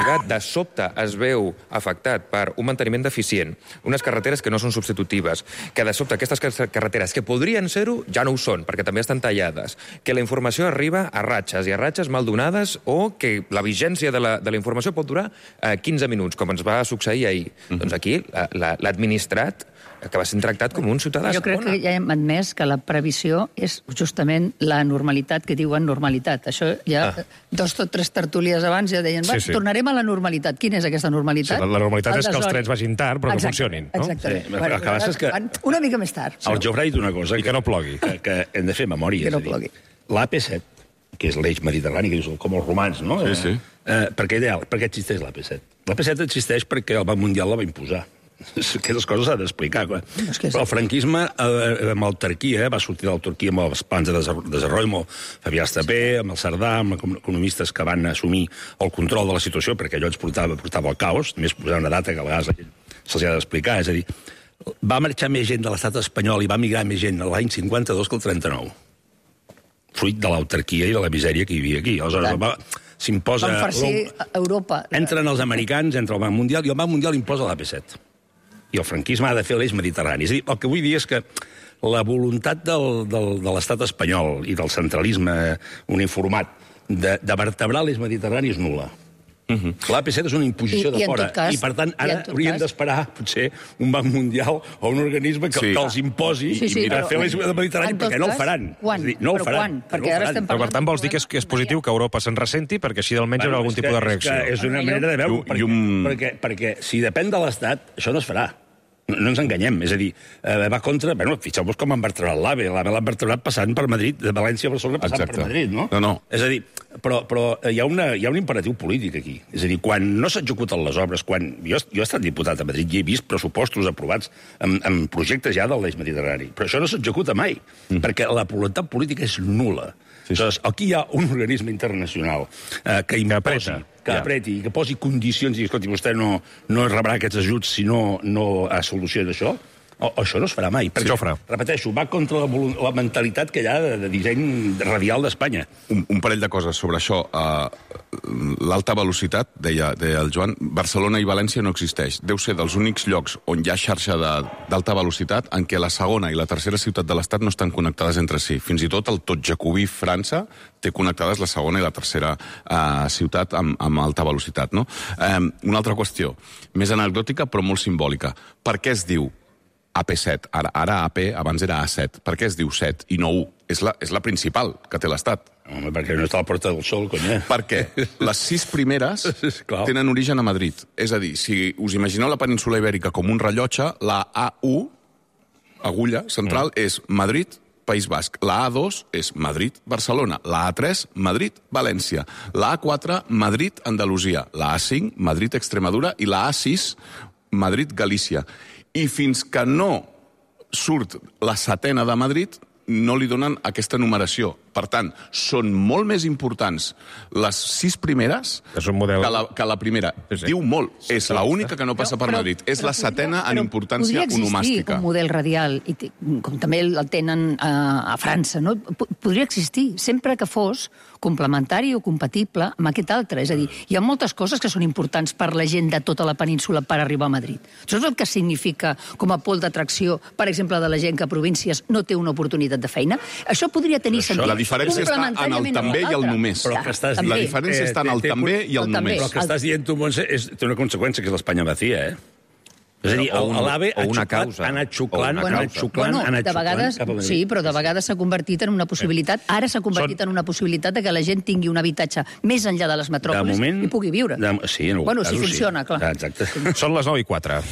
Llobregat de sobte es veu afectat per un manteniment deficient, unes carreteres que no són substitutives, que de sobte aquestes carreteres que podrien ser-ho ja no ho són, perquè també estan tallades, que la informació arriba a ratxes, i a ratxes mal donades, o que la vigència de la informació pot durar 15 minuts, com ens va succeir ahir. Doncs aquí l'administrat que va ser tractat com un ciutadà segona. Jo crec que ja hem admès que la previsió és justament la normalitat que diuen normalitat. Això ja 2 o 3 tertúlies abans ja deien, tornarem a la normalitat. Quina és aquesta normalitat? La normalitat és que els trens vagin tard però que funcionin. Exactament. El que passa és que... Una mica més tard. El Jofre ha dit una cosa... I que no plogui. Que hem de fer memòria. Que no plogui. L'AP7, que és l'eix mediterrani, que dius com els romans, no? Sí. Per què existeix l'AP7? L'AP7 existeix perquè el Banc Mundial la va imposar. Aquestes coses s'ha d'explicar. Però el franquisme, amb l'autarquia, va sortir de l'autarquia amb els plans de desenvolupament, amb Fabià Estapé, amb el Cerdà, amb economistes que van assumir el control de la situació, perquè allò ens portava al caos, només posar una data que a vegades se'ls ha d'explicar. És a dir, va marxar més gent de l'estat espanyol i va migrar més gent l'any 52 que el 39. Fruit de l'autarquia i de la misèria que hi havia aquí. Aleshores, s'imposa... Van farcir Europa. Entren els americans, entra el Banc Mundial, i el Banc Mundial imposa l'AP7. I el franquisme ha de fer l'eix mediterrani. És a dir, el que vull dir és que la voluntat de l'estat espanyol i del centralisme uniformat de vertebrar l'eix mediterrani és nul·la. L'AP7 és una imposició de fora. I, per tant, ara hauríem d'esperar, potser, un banc mundial o un organisme que els imposi a fer l'eix mediterrani, perquè no el faran. Quan? Però quan? Perquè ara estem parlant... Per tant, vols dir que és positiu que Europa se'n ressenti, perquè així almenys hi haurà algun tipus de reacció. És una manera de veure-ho, perquè si depèn de l'Estat, això no es farà. No ens enganyem, és a dir, va contra... Bueno, fixeu-vos com han vertebrat l'AVE. L'AVE l'han vertebrat passant per Madrid, de València a Barcelona passant per Madrid, no? No. És a dir, però hi ha un imperatiu polític aquí. És a dir, quan no s'executen les obres, quan... Jo he estat diputat a Madrid i he vist pressupostos aprovats amb projectes ja de l'eix mediterrani, però això no s'executa mai, perquè la voluntat política és nul·la. Aleshores, aquí hi ha un organisme internacional que imposi, que apreti i que posi condicions i, escolti, vostè no rebrà aquests ajuts si no soluciona això, això no es farà mai. Perquè, repeteixo, va contra la mentalitat que hi ha de disseny radial d'Espanya. Un parell de coses sobre això. L'alta velocitat, deia el Joan, Barcelona i València no existeix. Deu ser dels únics llocs on hi ha xarxa d'alta velocitat en què la segona i la tercera ciutat de l'Estat no estan connectades entre si. Fins i tot el tot jacobí França té connectades la segona i la tercera ciutat amb alta velocitat. No? Una altra qüestió, més anecdòtica però molt simbòlica. Per què es diu AP7, ara AP, abans era A7. Per què es diu 7 i no 1? És la principal que té l'Estat. Home, perquè no està a la Porta del Sol, conya. Perquè les 6 primeres tenen origen a Madrid. És a dir, si us imagineu la península Ibèrica com un rellotge, la A1, agulla central, és Madrid, País Basc. La A2 és Madrid-Barcelona. La A3, Madrid-València. La A4, Madrid-Andalusia. La A5, Madrid-Extremadura. I la A6, Madrid-Galícia. I fins que no surt la setena de Madrid, no li donen aquesta numeració. Per tant, són molt més importants les 6 primeres que la primera. Diu molt. És l'única que no passa per Madrid. És la setena en importància onomàstica. Podria existir un model radial, com també el tenen a França, no? Podria existir, sempre que fos complementari o compatible amb aquest altre. És a dir, hi ha moltes coses que són importants per la gent de tota la península per arribar a Madrid. Això és el que significa com a pol d'atracció, per exemple, de la gent que a províncies no té una oportunitat de feina. Això podria tenir sentit. La diferència està en el també i el només. La diferència està en el també i el només. Però el que estàs dient tu, Montse, té una conseqüència, que és l'Espanya vacía, És a dir, l'AVE ha anat xuclant, de vegades, sí, però de vegades s'ha convertit en una possibilitat, ara s'ha convertit en una possibilitat que la gent tingui un habitatge més enllà de les metròpolis i pugui viure. Sí, en bueno, si funciona, clar. Exacte. Són les 9:04.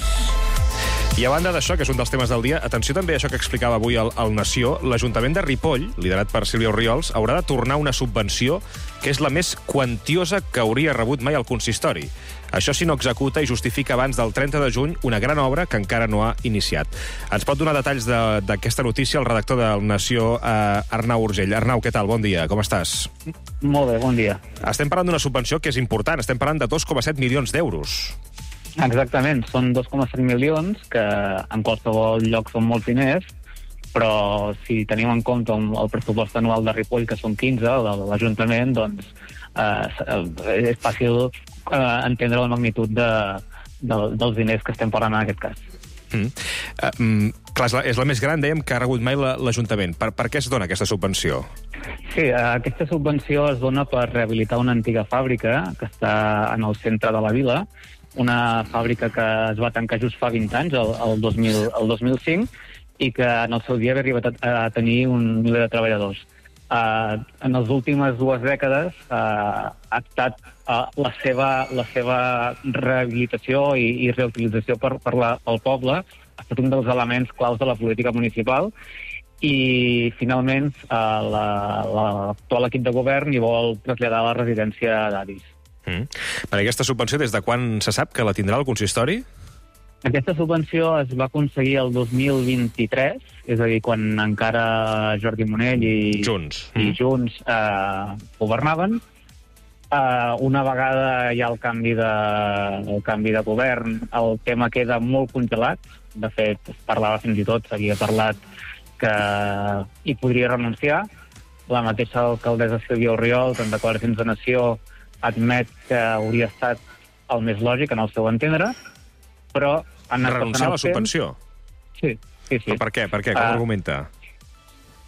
I a banda d'això, que és un dels temes del dia, atenció també a això que explicava avui el Nació, l'Ajuntament de Ripoll, liderat per Sílvia Orriols, haurà de tornar una subvenció que és la més quantiosa que hauria rebut mai el consistori. Això si no executa i justifica abans del 30 de juny una gran obra que encara no ha iniciat. Ens pot donar detalls d'aquesta notícia el redactor del Nació, Arnau Urgell. Arnau, què tal? Bon dia, com estàs? Molt bé, bon dia. Estem parlant d'una subvenció que és important, estem parlant de 2,7 milions d'euros. Exactament, són 2,7 milions, que en qualsevol lloc són molts diners, però si tenim en compte el pressupost anual de Ripoll, que són 15, de l'Ajuntament, doncs és fàcil entendre la magnitud dels diners que estem parlant en aquest cas. Clar, és la més gran, dèiem, que ha rebut mai l'Ajuntament. Per què es dona aquesta subvenció? Sí, aquesta subvenció es dona per rehabilitar una antiga fàbrica que està en el centre de la vila, una fàbrica que es va tancar just fa 20 anys, el 2005, i que en el seu dia havia arribat a tenir 1 miler de treballadors. En les últimes 2 dècades ha estat la seva rehabilitació i reutilització pel poble ha estat un dels elements claus de la política municipal i finalment l'actual equip de govern hi vol traslladar la residència d'avis. Per aquesta subvenció, des de quan se sap que la tindrà el consistori? Aquesta subvenció es va aconseguir el 2023, és a dir, quan encara Jordi Monell i Junts governaven. Una vegada hi ha el canvi de govern, el tema queda molt congelat. De fet, es parlava fins i tot, s'havia parlat que hi podria renunciar. La mateixa alcaldessa Sílvia Orriols, en declaracions de Nació, admet que hauria estat el més lògic, en el seu entendre, però... Renunciar a la subvenció? Sí. Però per què? Com argumenta?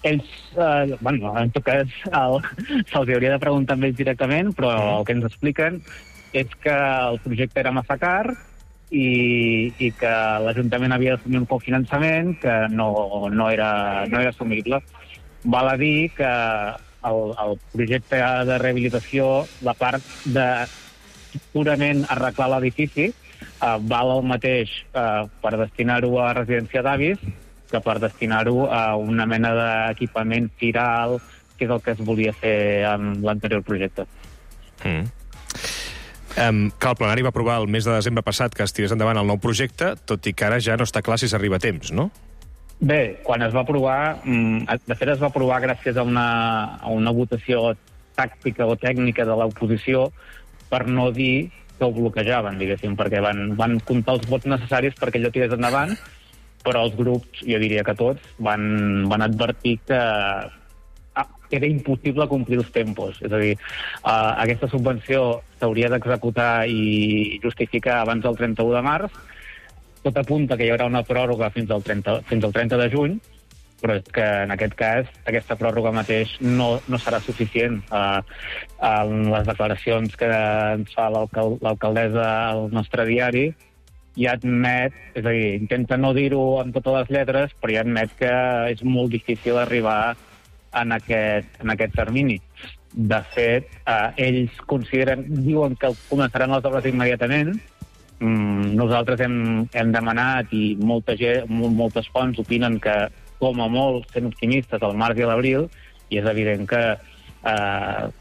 Ells, en tot cas, se'ls hauria de preguntar amb ells directament, però el que ens expliquen és que el projecte era massa car i que l'Ajuntament havia d'assumir un cofinançament que no era assumible. Val a dir que el projecte de rehabilitació, la part de purament arreglar l'edifici, val el mateix per destinar-ho a residència d'avis que per destinar-ho a una mena d'equipament firal, que és el que es volia fer amb l'anterior projecte. Que el plenari va aprovar el mes de desembre passat que es tirés endavant el nou projecte, tot i que ara ja no està clar si s'arriba a temps, no? Bé, quan es va aprovar, de fet es va aprovar gràcies a una votació tàctica o tècnica de l'oposició, per no dir que ho bloquejaven, diguéssim, perquè van comptar els vots necessaris perquè allò tirés endavant, però els grups, jo diria que tots, van advertir que era impossible complir els tempos. És a dir, aquesta subvenció s'hauria d'executar i justificar abans del 31 de març. Tot apunta que hi haurà una pròrroga fins al 30 de juny, però és que en aquest cas aquesta pròrroga mateix no serà suficient. Les declaracions que ens fa l'alcaldessa al nostre diari ja admet, és a dir, intenta no dir-ho amb totes les lletres, però ja admet que és molt difícil arribar en aquest termini. De fet, ells diuen que començaran les obres immediatament. Nosaltres hem demanat i moltes fonts opinen que, com a molt, sent optimistes, al març i a l'abril, i és evident que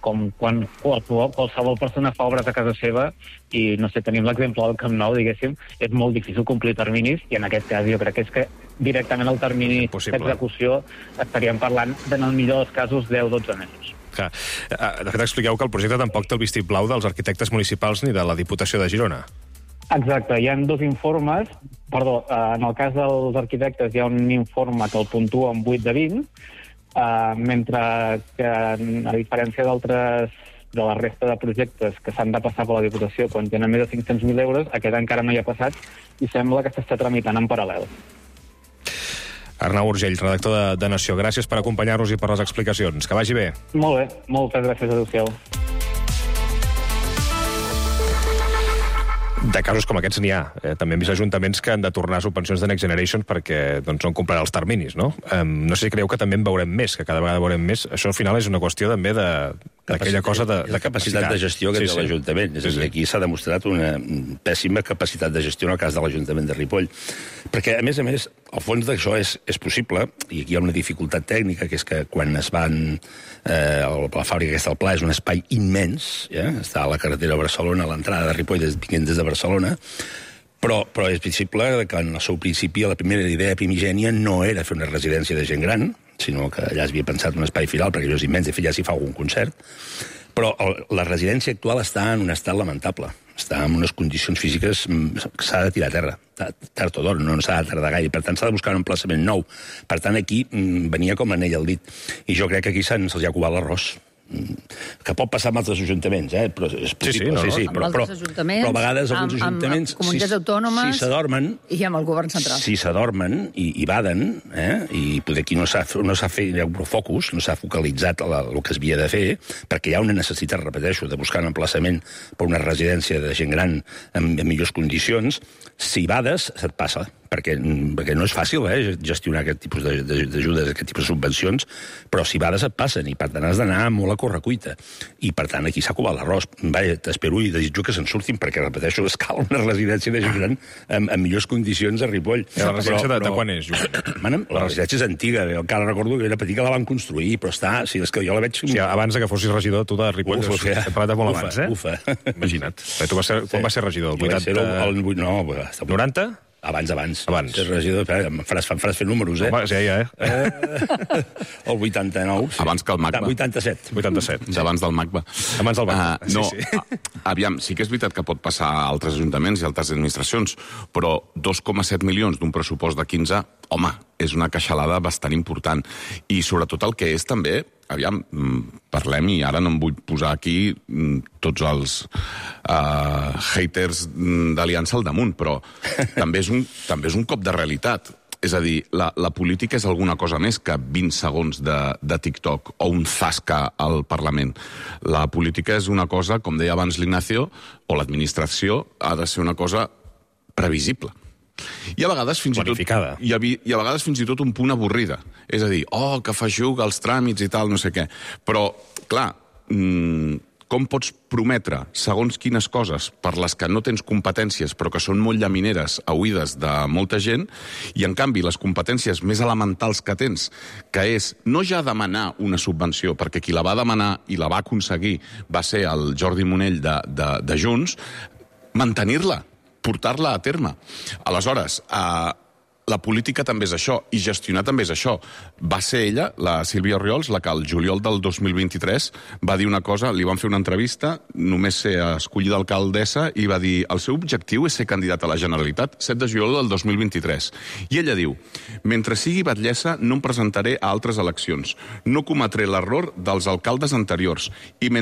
com quan qualsevol persona fa obres a casa seva i, no sé, tenim l'exemple del Camp Nou, diguéssim, és molt difícil complir terminis i en aquest cas jo crec que és que directament el termini d'execució estaríem parlant, en el millor dels casos, 10-12 mesos. De fet, expliqueu que el projecte tampoc té el vistiplau dels arquitectes municipals ni de la Diputació de Girona. Exacte, hi ha 2 informes. Perdó, en el cas dels arquitectes hi ha un informe que el puntua amb 8 de 20, mentre que, a diferència de la resta de projectes que s'han de passar per la Diputació quan tenen més de 500.000 euros, aquest encara no hi ha passat i sembla que s'està tramitant en paral·lel. Arnau Urgell, redactor de Nació, gràcies per acompanyar-nos i per les explicacions. Que vagi bé. Molt bé, moltes gràcies, adéu-siau. De casos com aquests n'hi ha. També hem vist ajuntaments que han de tornar subvencions de Next Generation perquè no han complert els terminis, no? No sé si creieu que també en veurem més, que cada vegada veurem més. Això al final és una qüestió també d'aquella cosa de capacitat de gestió que té l'Ajuntament. És a dir, aquí s'ha demostrat una pèssima capacitat de gestió en el cas de l'Ajuntament de Ripoll. Perquè, a més, el fons d'això és possible, i aquí hi ha una dificultat tècnica, que és que quan es van... la fàbrica aquesta al Pla és un espai immens, està a la carretera a Barcelona, a l'entrada de Ripoll, vinguent des de Barcelona, però és visible que en el seu principi la primera idea primigènia no era fer una residència de gent gran, sinó que allà es havia pensat un espai firal, perquè allò és immens, de fet ja s'hi fa algun concert, però la residència actual està en un estat lamentable, està en unes condicions físiques que s'ha de tirar a terra, tard o d'hora, no s'ha de tardar gaire, per tant s'ha de buscar un emplaçament nou. Per tant, aquí venia com l'anell al dit, i jo crec que aquí se'ls ha covat l'arròs. que pot passar amb altres ajuntaments, però és possible. Amb altres ajuntaments, però a vegades alguns ajuntaments... Amb comunitats autònomes... Si s'adormen... I amb el govern central. Si s'adormen i baden, i poder aquí no s'ha fet un focus, no s'ha focalitzat el que es havia de fer, perquè hi ha una necessitat, repeteixo, de buscar un emplaçament per una residència de gent gran en millors condicions, si bades, se't passa. Perquè no és fàcil gestionar aquest tipus d'ajudes, aquest tipus de subvencions, però si bades et passen, i per tant has d'anar molt a correcuita. I per tant aquí s'ha colat l'arròs. Vaja, t'espero i desitjo que se'n surtin, perquè, repeteixo, es cal una residència de gent gran en millors condicions a Ripoll. La residència de quan és, Josep? La residència és antiga, encara recordo que era petit que la van construir, però està... Si és que jo la veig... Sí, abans que fossis regidor, tu de Ripoll, hem parlat de molt abans, Ufa. Imagina't. Quan va ser regidor? El 80? No, 90? Abans. Ser regidor, em faràs fer números, Home, sí, El 89. Abans que el MACBA. 87. Abans del MACBA. Abans del MACBA, sí. Aviam, sí que és veritat que pot passar a altres ajuntaments i altres administracions, però 2,7 milions d'un pressupost de 15, home, és una queixalada bastant important. I sobretot el que és també... Aviam, parlem, i ara no em vull posar aquí tots els haters d'Aliança al damunt, però també és un cop de realitat. És a dir, la política és alguna cosa més que 20 segons de TikTok o un zasca al Parlament. La política és una cosa, com deia abans l'Ignacio, o l'administració ha de ser una cosa previsible. I a vegades fins i tot un punt avorrida. És a dir, que feixuga els tràmits i tal, no sé què. Però, clar, com pots prometre segons quines coses per les que no tens competències però que són molt llamineres a oïdes de molta gent, i en canvi les competències més elementals que tens, que és no ja demanar una subvenció, perquè qui la va demanar i la va aconseguir va ser el Jordi Monell de Junts, mantenir-la, portar-la a terme. Aleshores, la política també és això, i gestionar també és això. Va ser ella, la Sílvia Orriols, la que el juliol del 2023 va dir una cosa, li van fer una entrevista, només ser escollida alcaldessa, i va dir, el seu objectiu és ser candidat a la Generalitat, 7 de juliol del 2023. I ella diu, mentre sigui batllessa no em presentaré a altres eleccions, no cometré l'error dels alcaldes anteriors, i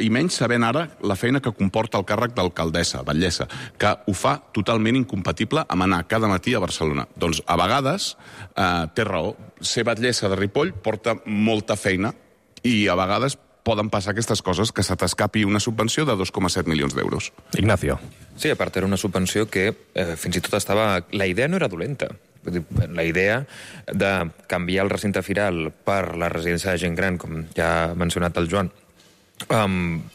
menys sabent ara la feina que comporta el càrrec d'alcaldessa, batllessa, que ho fa totalment incompatible amb anar cada matí a Barcelona. Doncs a vegades té raó. Ser batllessa de Ripoll porta molta feina i a vegades poden passar aquestes coses, que se t'escapi una subvenció de 2,7 milions d'euros. Ignacio. Sí, a part era una subvenció que fins i tot estava... La idea no era dolenta. La idea de canviar el recinte firal per la residència de gent gran, com ja ha mencionat el Joan,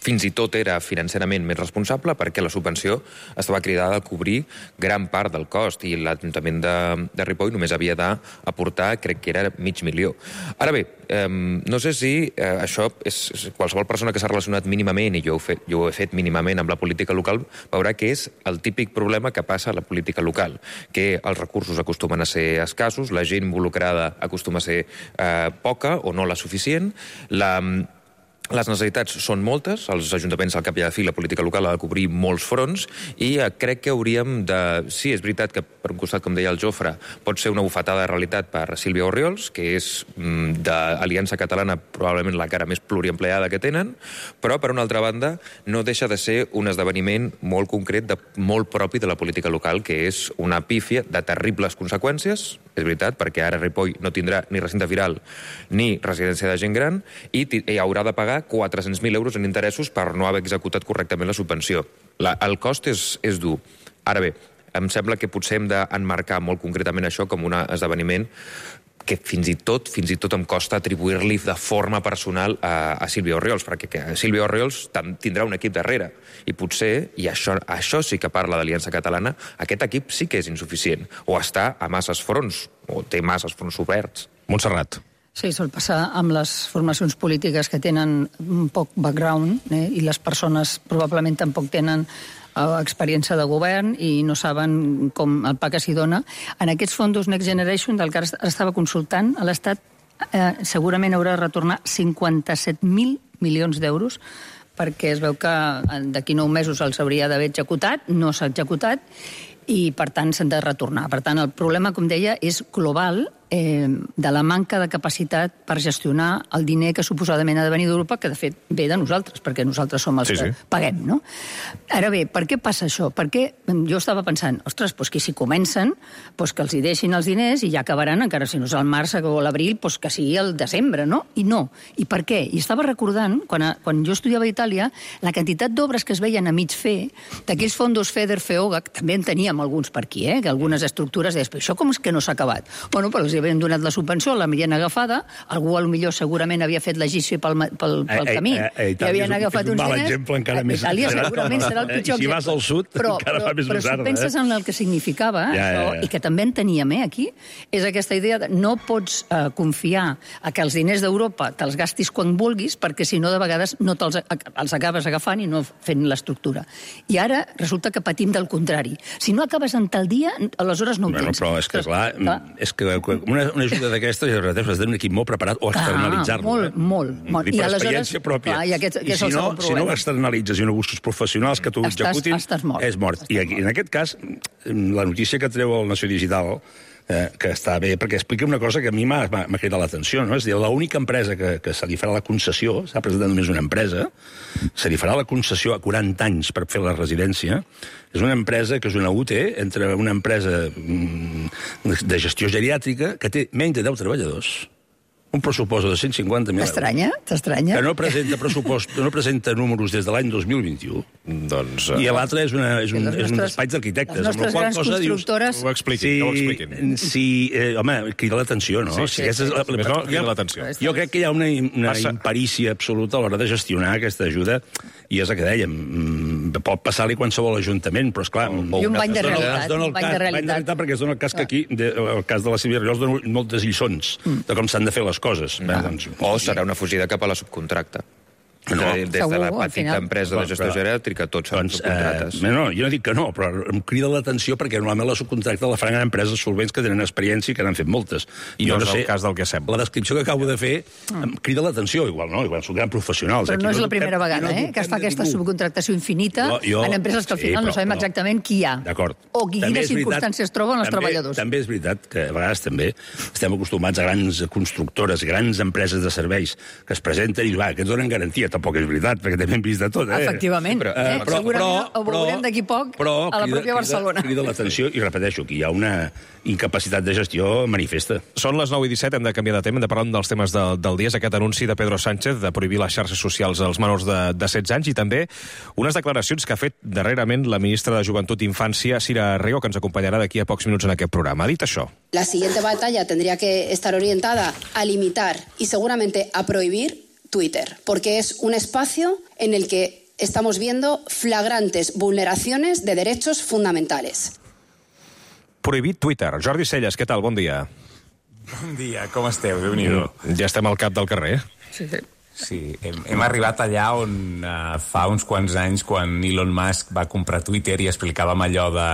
fins i tot era financerament més responsable perquè la subvenció estava cridada a cobrir gran part del cost i l'Ajuntament de Ripoll només havia d'aportar, crec que era 500.000. Ara bé, no sé si això és qualsevol persona que s'ha relacionat mínimament, i jo ho he fet mínimament amb la política local, veurà que és el típic problema que passa a la política local, que els recursos acostumen a ser escassos, la gent involucrada acostuma a ser poca o no la suficient, les necessitats són moltes, els ajuntaments al cap i a la fi, la política local ha de cobrir molts fronts, i crec que hauríem de... Sí, és veritat que per un costat, com deia el Jofre, pot ser una bufetada de realitat per Sílvia Orriols, que és d'Aliança Catalana probablement la cara més pluriempleada que tenen, però per una altra banda no deixa de ser un esdeveniment molt concret, molt propi de la política local, que és una pífia de terribles conseqüències, és veritat, perquè ara Ripoll no tindrà ni recinte firal ni residència de gent gran, i haurà de pagar 400.000 euros en interessos per no haver executat correctament la subvenció. El cost és dur. Ara bé, em sembla que potser hem d'emmarcar molt concretament això com un esdeveniment que fins i tot em costa atribuir-li de forma personal a Sílvia Orriols, perquè Sílvia Orriols tindrà un equip darrere, i potser, i això sí que parla d'Aliança Catalana, aquest equip sí que és insuficient, o està a masses fronts, o té masses fronts oberts. Montserrat. Sí, sol passar amb les formacions polítiques que tenen un poc background, i les persones probablement tampoc tenen experiència de govern i no saben com el pa que s'hi dona. En aquests fons Next Generation, del que ara estava consultant, a l'Estat segurament haurà de retornar 57.000 milions d'euros, perquè es veu que d'aquí 9 mesos els hauria d'haver executat, no s'ha executat, i per tant s'han de retornar. Per tant, el problema, com deia, és global, de la manca de capacitat per gestionar el diner que suposadament ha de venir d'Europa, que de fet ve de nosaltres, perquè nosaltres som els que paguem, no? Ara bé, per què passa això? Perquè jo estava pensant, ostres, doncs que si comencen, doncs que els hi deixin els diners i ja acabaran, encara si no és al març o l'abril, doncs que sigui el desembre, no? I no. I per què? I estava recordant, quan jo estudiava a Itàlia, la quantitat d'obres que es veien a mig fer, d'aquells fondos FEDER, FEOGA, que també en teníem alguns per aquí, que algunes estructures deies, però això com és que no s'ha acabat? Bueno, però els havien donat la subvenció, la havien agafada, algú potser segurament havia fet l'egici pel camí, i havien agafat uns diners. Exemple encara més. Itàlia segurament serà el pitjor exemple. Si vas al sud, encara fa més però si penses en el que significava, i que també en teníem aquí, és aquesta idea de no pots confiar a que els diners d'Europa te'ls gastis quan vulguis, perquè si no, de vegades no els acabes agafant i no fent l'estructura. I ara resulta que patim del contrari. Si no acabes en tal dia, aleshores no ho tens. Però és que, clar, és que una ajuda d'aquesta, has de tenir un equip molt preparat o externalitzar-lo. Molt. I per experiència pròpia. I si no ho externalitzes i no busques professionals que t'ho executin, és mort. I en aquest cas, la notícia que treu el Nació Digital, que està bé, perquè explica una cosa que a mi m'ha cridat l'atenció, no? És a dir, l'única empresa que se li farà la concessió, s'ha presentat només una empresa, se li farà la concessió a 40 anys per fer la residència, és una empresa que és una UT entre una empresa de gestió geriàtrica que té menys de 10 treballadors, un pressupost de 150.000 euros. T'estranya? Que no presenta pressupost, no presenta números des de l'any 2021. Doncs... I l'altre és un despatx d'arquitectes. Les nostres grans constructores... Ho expliquin. Sí, home, crida l'atenció, no? Crida l'atenció. Jo crec que hi ha una imperícia absoluta a l'hora de gestionar aquesta ajuda, i és el que dèiem, pot passar-li qualsevol ajuntament, però esclar... I un bany de realitat. Bany de realitat, perquè es dona el cas que aquí, el cas de la Sílvia Riols, dona moltes lliçons de com s'han de fer les coses. O serà una fugida cap a la subcontracta. Des de la petita empresa de gestió geriàtrica, tots són subcontrates. No, jo no dic que no, però em crida l'atenció perquè normalment la subcontracta la faran empreses solvents que tenen experiència i que n'han fet moltes. I no és el cas del que sembla. La descripció que acabo de fer em crida l'atenció, igual són grans professionals. Però no és la primera vegada, que es fa aquesta subcontractació infinita en empreses que al final no sabem exactament qui hi ha. D'acord. O quines circumstàncies troben els treballadors. També és veritat que a vegades també estem acostumats a grans constructores, grans empreses de serveis que es presenten i que ens donen garantia. Tampoc és veritat, perquè també hem vist de tot. Efectivament. Segurament ho veurem d'aquí poc a la pròpia Barcelona. Crida l'atenció, i repeteixo, que hi ha una incapacitat de gestió manifesta. Són les 9:17, hem de canviar de tema, hem de parlar d'un dels temes del dia, és aquest anunci de Pedro Sánchez de prohibir les xarxes socials als menors de 16 anys, i també unes declaracions que ha fet darrerament la ministra de Joventut i Infància, Sira Rego, que ens acompanyarà d'aquí a pocs minuts en aquest programa. Ha dit això. La siguiente batalla tendría que estar orientada a limitar y seguramente a prohibir Twitter, porque es un espacio en el que estamos viendo flagrantes vulneraciones de derechos fundamentales. Prohibit Twitter. Jordi Celles, què tal? Bon dia. Bon dia, com esteu? Déu-n'hi-do. Ja estem al cap del carrer. Sí, hem arribat allà on fa uns quants anys, quan Elon Musk va comprar Twitter i explicàvem allò de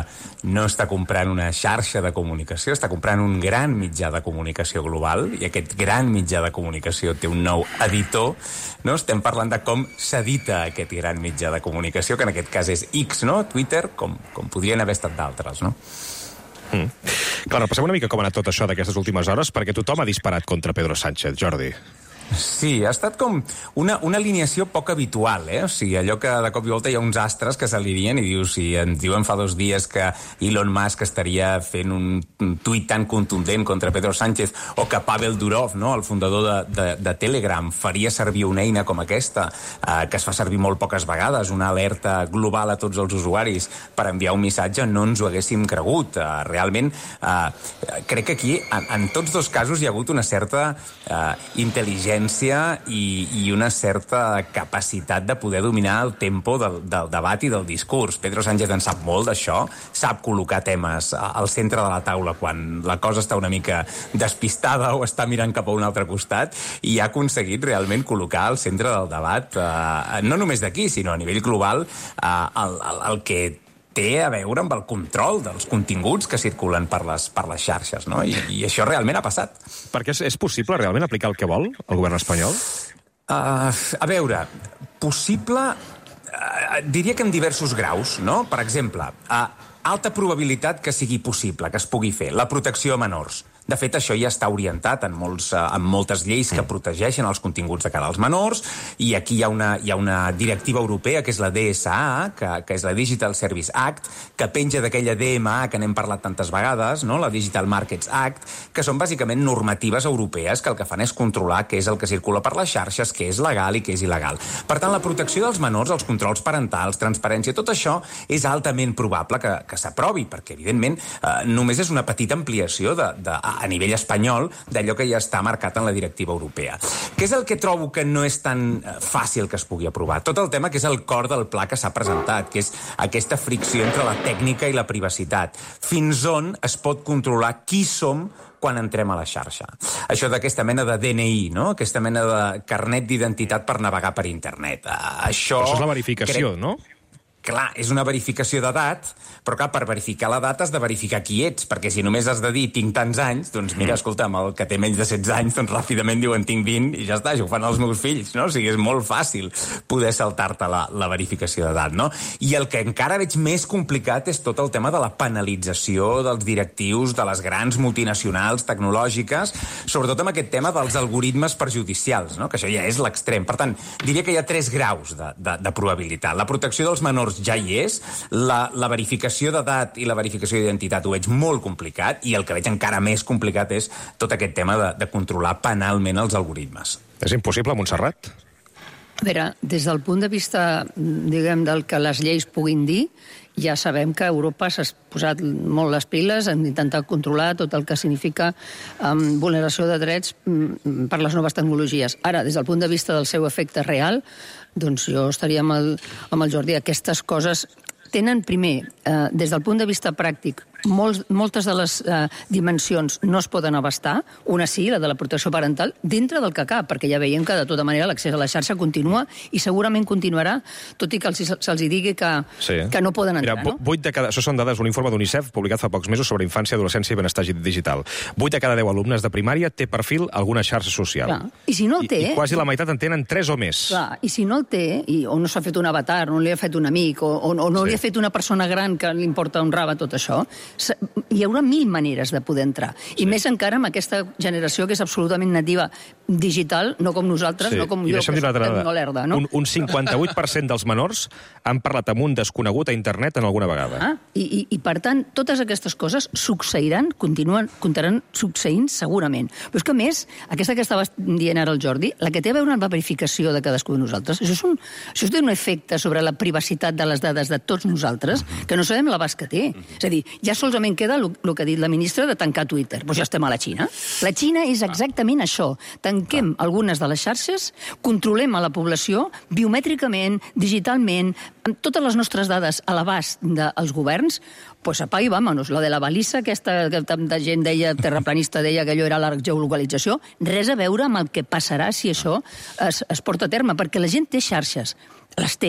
no està comprant una xarxa de comunicació, està comprant un gran mitjà de comunicació global, i aquest gran mitjà de comunicació té un nou editor, no? Estem parlant de com s'edita aquest gran mitjà de comunicació, que en aquest cas és X, no? Twitter, com podrien haver estat d'altres, no? Clar, repassem una mica com ha anat tot això d'aquestes últimes hores, perquè tothom ha disparat contra Pedro Sánchez, Jordi. Sí, ha estat com una alineació poc habitual, O sigui, allò que de cop i volta hi ha uns astres que s'alineen i dius, si ens diuen fa 2 dies que Elon Musk estaria fent un tuit tan contundent contra Pedro Sánchez, o que Pavel Durov, no, el fundador de Telegram, faria servir una eina com aquesta, que es fa servir molt poques vegades, una alerta global a tots els usuaris per enviar un missatge, no ens ho haguéssim cregut. Realment, crec que aquí, en tots dos casos, hi ha hagut una certa intel·ligència i una certa capacitat de poder dominar el tempo del debat i del discurs. Pedro Sánchez en sap molt d'això, sap col·locar temes al centre de la taula quan la cosa està una mica despistada o està mirant cap a un altre costat, i ha aconseguit realment col·locar al centre del debat, no només d'aquí, sinó a nivell global, el que té a veure amb el control dels continguts que circulen per les xarxes, no? I això realment ha passat. Perquè és possible realment aplicar el que vol el govern espanyol? A veure, possible, diria que en diversos graus, no? Per exemple, alta probabilitat que sigui possible, que es pugui fer. La protecció a menors. De fet, això ja està orientat en moltes lleis que protegeixen els continguts de cara als menors, i aquí hi ha una directiva europea, que és la DSA, que és la Digital Service Act, que penja d'aquella DMA que n'hem parlat tantes vegades, no? La Digital Markets Act, que són bàsicament normatives europees que el que fan és controlar què és el que circula per les xarxes, què és legal i què és il·legal. Per tant, la protecció dels menors, els controls parentals, transparència, tot això és altament probable que s'aprovi, perquè, evidentment, només és una petita ampliació a nivell espanyol d'allò que ja està marcat en la directiva europea. Què és el que trobo que no és tan fàcil que es pugui aprovar? Tot el tema que és el cor del pla que s'ha presentat, que és aquesta fricció entre la tècnica i la privacitat. Fins on es pot controlar qui som quan entrem a la xarxa. Això d'aquesta mena de DNI, no? Aquesta mena de carnet d'identitat per navegar per internet. Això és la verificació, no? Clar, és una verificació d'edat, però clar, per verificar l'edat has de verificar qui ets, perquè si només has de dir tinc tants anys, doncs mira, escolta'm, el que té menys de 16 anys, doncs ràpidament diuen tinc 20 i ja està, això ho fan els meus fills, no? O sigui, és molt fàcil poder saltar-te la verificació d'edat, no? I el que encara veig més complicat és tot el tema de la penalització dels directius de les grans multinacionals tecnològiques, sobretot amb aquest tema dels algoritmes perjudicials, no? Que això ja és l'extrem. Per tant, diria que hi ha 3 graus de probabilitat. La protecció dels menors ja hi és, la verificació d'edat i la verificació d'identitat ho veig molt complicat, i el que veig encara més complicat és tot aquest tema de controlar penalment els algoritmes. És impossible, Montserrat? A veure, des del punt de vista, diguem, del que les lleis puguin dir, ja sabem que Europa s'ha posat molt les piles en intentar controlar tot el que significa vulneració de drets per les noves tecnologies. Ara, des del punt de vista del seu efecte real, doncs jo estaria amb el Jordi. Aquestes coses tenen, primer, des del punt de vista pràctic, moltes de les dimensions no es poden abastar, una sí, la de la protecció parental, dintre del que cap, perquè ja veiem que de tota manera l'accés a la xarxa continua i segurament continuarà, tot i que se'ls digui que no poden entrar. Mira, 8 de cada... Això són dades d'un informe d'UNICEF publicat fa pocs mesos sobre infància, adolescència i benestar digital. 8 de cada 10 alumnes de primària té perfil a alguna xarxa social. Clar. I si no el té... I quasi la meitat en tenen 3 o més. Clar, i si no el té, o no s'ha fet un avatar, no li ha fet un amic, o no li ha fet una persona gran que li importa un rave tot això, hi haurà 1000 maneres de poder entrar. I més encara amb aquesta generació que és absolutament nativa digital, no com nosaltres, no com jo, que soc no lerda, no? Un 58% dels menors han parlat amb un desconegut a internet en alguna vegada. I per tant, totes aquestes coses succeiran, continuaran succeint segurament. Però és que, a més, aquesta que estava dient ara el Jordi, la que té a veure amb la verificació de cadascú de nosaltres, això té un efecte sobre la privacitat de les dades de tots nosaltres, que no sabem l'abast que té. És a dir, ja solament queda el que ha dit la ministra de tancar Twitter. Doncs ja estem a la Xina. La Xina és exactament això. Tanquem algunes de les xarxes, controlem a la població biomètricament, digitalment, amb totes les nostres dades a l'abast dels governs, pues apa i vámonos. La de la balissa, aquesta que tanta gent deia, terraplanista deia que allò era la geolocalització, res a veure amb el que passarà si això es porta a terme, perquè la gent té xarxes. Les té,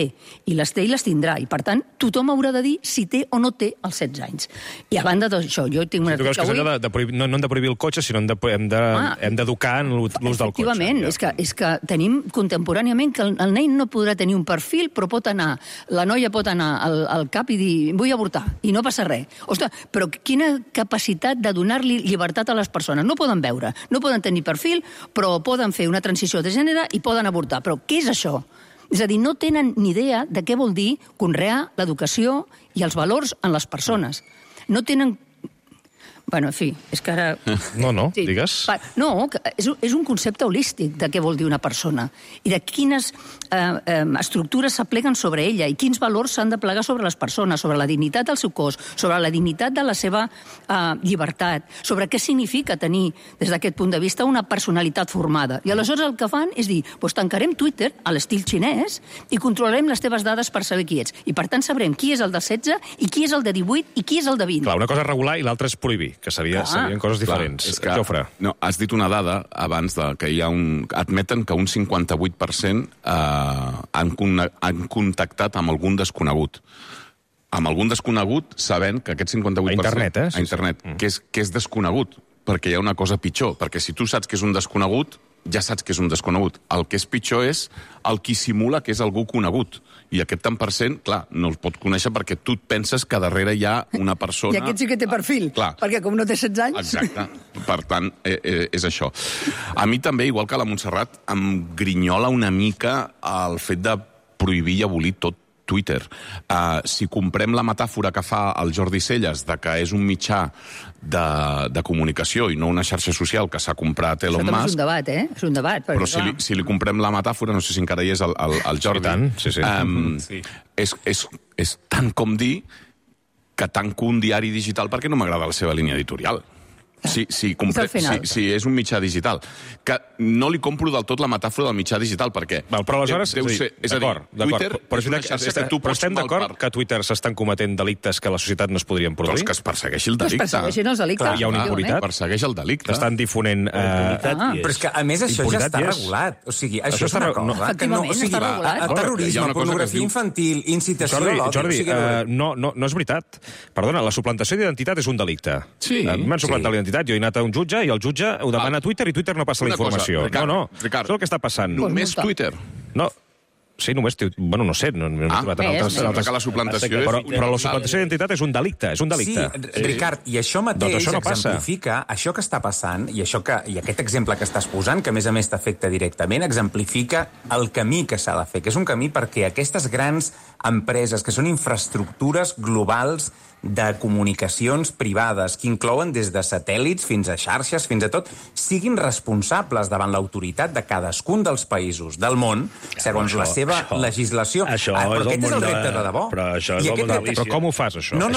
i les tindrà. I, per tant, tothom haurà de dir si té o no té els 16 anys. I a banda d'això, jo tinc una... Tu creus que no hem de prohibir el cotxe, sinó hem d'educar en l'ús del cotxe. Efectivament, és que tenim contemporàniament que el nen no podrà tenir un perfil, però la noia pot anar al CAP i dir vull avortar, i no passa res. Ostres, però quina capacitat de donar-li llibertat a les persones. No poden veure, no poden tenir perfil, però poden fer una transició de gènere i poden avortar. Però què és això? És a dir, no tenen ni idea de què vol dir conrear l'educació i els valors en les persones. No tenen... Bueno, en fi, és que ara... No, digues. No, és un concepte holístic de què vol dir una persona i de quines estructures s'apleguen sobre ella i quins valors s'han de plegar sobre les persones, sobre la dignitat del seu cos, sobre la dignitat de la seva llibertat, sobre què significa tenir, des d'aquest punt de vista, una personalitat formada. I aleshores el que fan és dir, doncs tancarem Twitter a l'estil xinès i controlarem les teves dades per saber qui ets. I per tant sabrem qui és el de 16 i qui és el de 18 i qui és el de 20. Clar, una cosa és regular i l'altra és prohibir, que serien coses diferents. Clar, Jofre. No, has dit una dada abans que hi ha admeten que un 58% han contactat amb algun desconegut. Amb algun desconegut, sabent que aquest 58%... A internet, A internet, que és desconegut, perquè hi ha una cosa pitjor. Perquè si tu saps que és un desconegut, ja saps que és un desconegut. El que és pitjor és el qui simula que és algú conegut. I aquest tant per cent, clar, no el pot conèixer perquè tu et penses que darrere hi ha una persona... I aquest sí que té perfil, perquè com no té 16 anys... Exacte. Per tant, és això. A mi també, igual que a la Montserrat, em grinyola una mica el fet de prohibir i abolir tot Twitter. Si comprem la metàfora que fa el Jordi Celles de que és un mitjà de comunicació i no una xarxa social que s'ha comprat Elon Musk... Això també és un debat, És un debat. Però si li comprem la metàfora, no sé si encara hi és el Jordi... Sí. És tant com dir que tanco un diari digital perquè no m'agrada la seva línia editorial. Si és un mitjà digital. Que no li compro del tot la metàfora del mitjà digital, perquè... Però aleshores, d'acord, Twitter és una xarxa que tu pots... Però estem d'acord que a Twitter s'estan cometent delictes que a la societat no es podrien produir? Doncs que es persegueixi el delicte. Es persegueixin els delictes. Hi ha una impunitat. Persegueix el delicte. Estan difonent... Però és que, a més, això ja està regulat. O sigui, això és una cosa... Efectivament, està regulat. Terrorisme, pornografia infantil, incitació a l'odi... Jordi, no és veritat. Perdona, la suplantació d'identitat és un delicte. Sí. M'han suplantat l'identitat. Jo he anat a un jutge i el jutge ho demana a Twitter i Twitter no passa la informació. Ricard, és el que està passant. Només Twitter? No. Sí, només... Bueno, no sé. No he trobat en altres... La suplantació però la suplantació d'identitat és un delicte. Sí, Ricard, i això mateix exemplifica això que està passant i aquest exemple que estàs posant, que a més t'afecta directament, exemplifica el camí que s'ha de fer, que és un camí perquè aquestes grans empreses, que són infraestructures globals de comunicacions privades, que inclouen des de satèl·lits fins a xarxes, fins a tot, siguin responsables davant l'autoritat de cadascun dels països del món, segons la seva legislació. Però aquest és el repte de debò. Però com ho fas, això? No.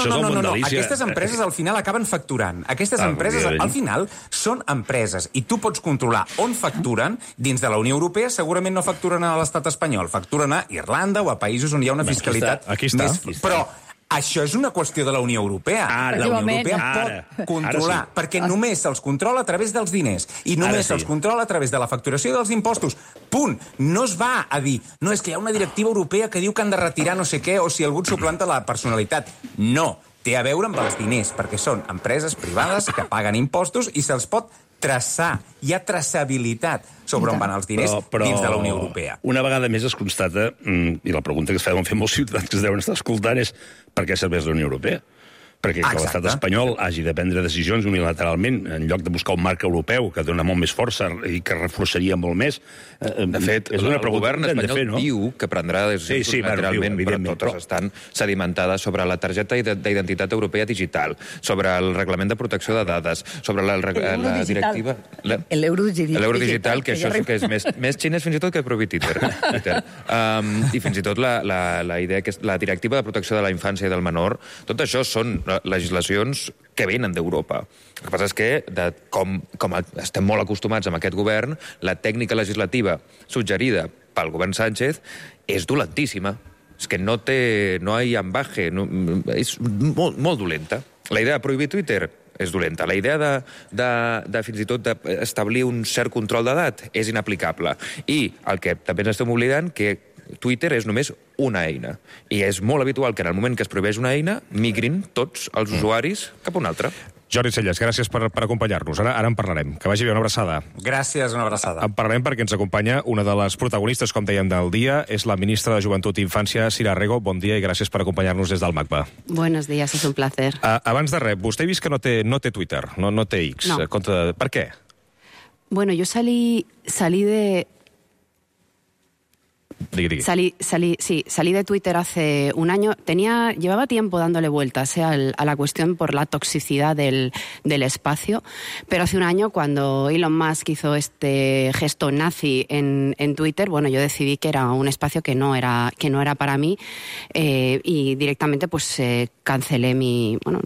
Aquestes empreses al final acaben facturant. Aquestes empreses al final són empreses i tu pots controlar on facturen. Dins de la Unió Europea segurament no facturen a l'estat espanyol, facturen a Irlanda o a països on hi ha una fiscalitat més... Però això és una qüestió de la Unió Europea. La Unió Europea pot controlar, perquè només se'ls controla a través dels diners i només se'ls controla a través de la facturació dels impostos. Punt. No es va a dir, no, és que hi ha una directiva europea que diu que han de retirar no sé què o si algú et suplanta la personalitat. No. Té a veure amb els diners, perquè són empreses privades que paguen impostos i se'ls pot traçar. Hi ha traçabilitat sobre on van els diners dins de la Unió Europea. Una vegada més es constata, i la pregunta que es fa molts ciutadans que es deuen estar escoltant és per què serveix la Unió Europea? Perquè que l'estat espanyol hagi de prendre decisions unilateralment en lloc de buscar un marc europeu que dona molt més força i que reforçaria molt més. De fet, el govern espanyol diu que prendrà decisions unilateralment, però totes estan sedimentades sobre la targeta d'identitat europea digital, sobre el reglament de protecció de dades, sobre la directiva... L'euro digital, que això sí que és més xinès fins i tot que prohibir Twitter. I fins i tot la idea que és la directiva de protecció de la infància i del menor, tot això són legislacions que venen d'Europa. El que passa és que, com estem molt acostumats amb aquest govern, la tècnica legislativa suggerida pel govern Sánchez és dolentíssima. És que no hi ha ambaje, és molt dolenta. La idea de prohibir Twitter és dolenta. La idea de fins i tot d'establir un cert control d'edat és inaplicable. I el que també ens estem oblidant, que Twitter és només una eina. I és molt habitual que en el moment que es prohibeix una eina, migrin tots els usuaris cap a una altra. Jordi Celles, gràcies per acompanyar-nos. Ara en parlarem. Que vagi bé, una abraçada. Gràcies, una abraçada. En parlarem perquè ens acompanya una de les protagonistes, com dèiem, del dia. És la ministra de Joventut i Infància, Sira Rego. Bon dia i gràcies per acompanyar-nos des del MACBA. Buenos días, es un placer. Abans de res, vostè he vist que no té Twitter, no té X. No. Per què? Bueno, yo salí de... Salí de Twitter hace un año. Llevaba tiempo dándole vueltas a la cuestión por la toxicidad del espacio, pero hace un año, cuando Elon Musk hizo este gesto nazi en Twitter, bueno, yo decidí que era un espacio que no era para mí, y directamente pues cancelé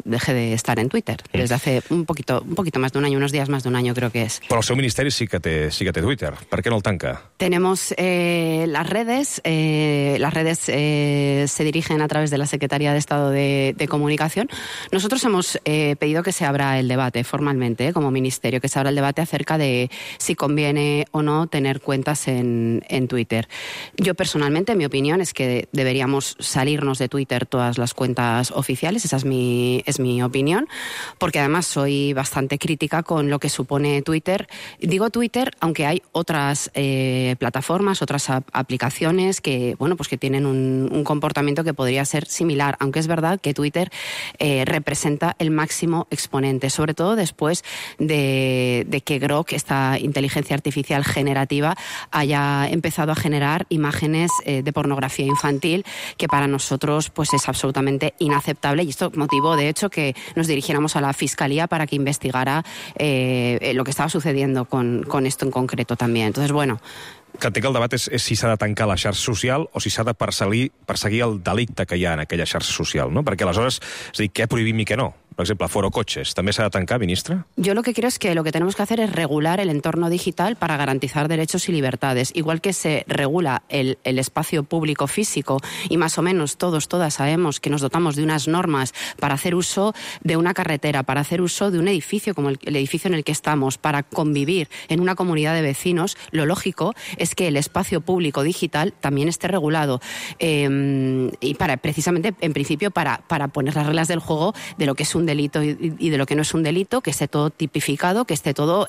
dejé de estar en Twitter desde hace un poquito más de un año, unos días más de un año creo que es. Però el seu ministeri sí que té Twitter. Per què no el tanca? Tenemos las redes redes se dirigen a través de la Secretaría de Estado de Comunicación. Nosotros hemos pedido que se abra el debate formalmente, como Ministerio, que se abra el debate acerca de si conviene o no tener cuentas en Twitter. Yo personalmente, mi opinión es que deberíamos salirnos de Twitter todas las cuentas oficiales, esa es mi opinión, porque además soy bastante crítica con lo que supone Twitter. Digo Twitter, aunque hay otras plataformas, otras aplicaciones que, bueno, pues que tienen un comportamiento que podría ser similar, aunque es verdad que Twitter representa el máximo exponente, sobre todo después de que Grok, esta inteligencia artificial generativa, haya empezado a generar imágenes de pornografía infantil, que para nosotros pues es absolutamente inaceptable, y esto motivó de hecho que nos dirigiéramos a la Fiscalía para que investigara lo que estaba sucediendo con esto en concreto también. Entonces, bueno, que entenc que el debat és si s'ha de tancar la xarxa social o si s'ha de perseguir el delicte que hi ha en aquella xarxa social, no? Perquè aleshores, és a dir, què prohibim i què no? Por ejemplo, Foro Coches, ¿también se ha de tancar, ministra? Yo lo que creo es que lo que tenemos que hacer es regular el entorno digital para garantizar derechos y libertades. Igual que se regula el espacio público físico y más o menos todas sabemos que nos dotamos de unas normas para hacer uso de una carretera, para hacer uso de un edificio como el edificio en el que estamos, para convivir en una comunidad de vecinos, lo lógico es que el espacio público digital también esté regulado. Y precisamente, en principio, para poner las reglas del juego de lo que es un delito y de lo que no es un delito, que esté todo tipificado, que esté todo,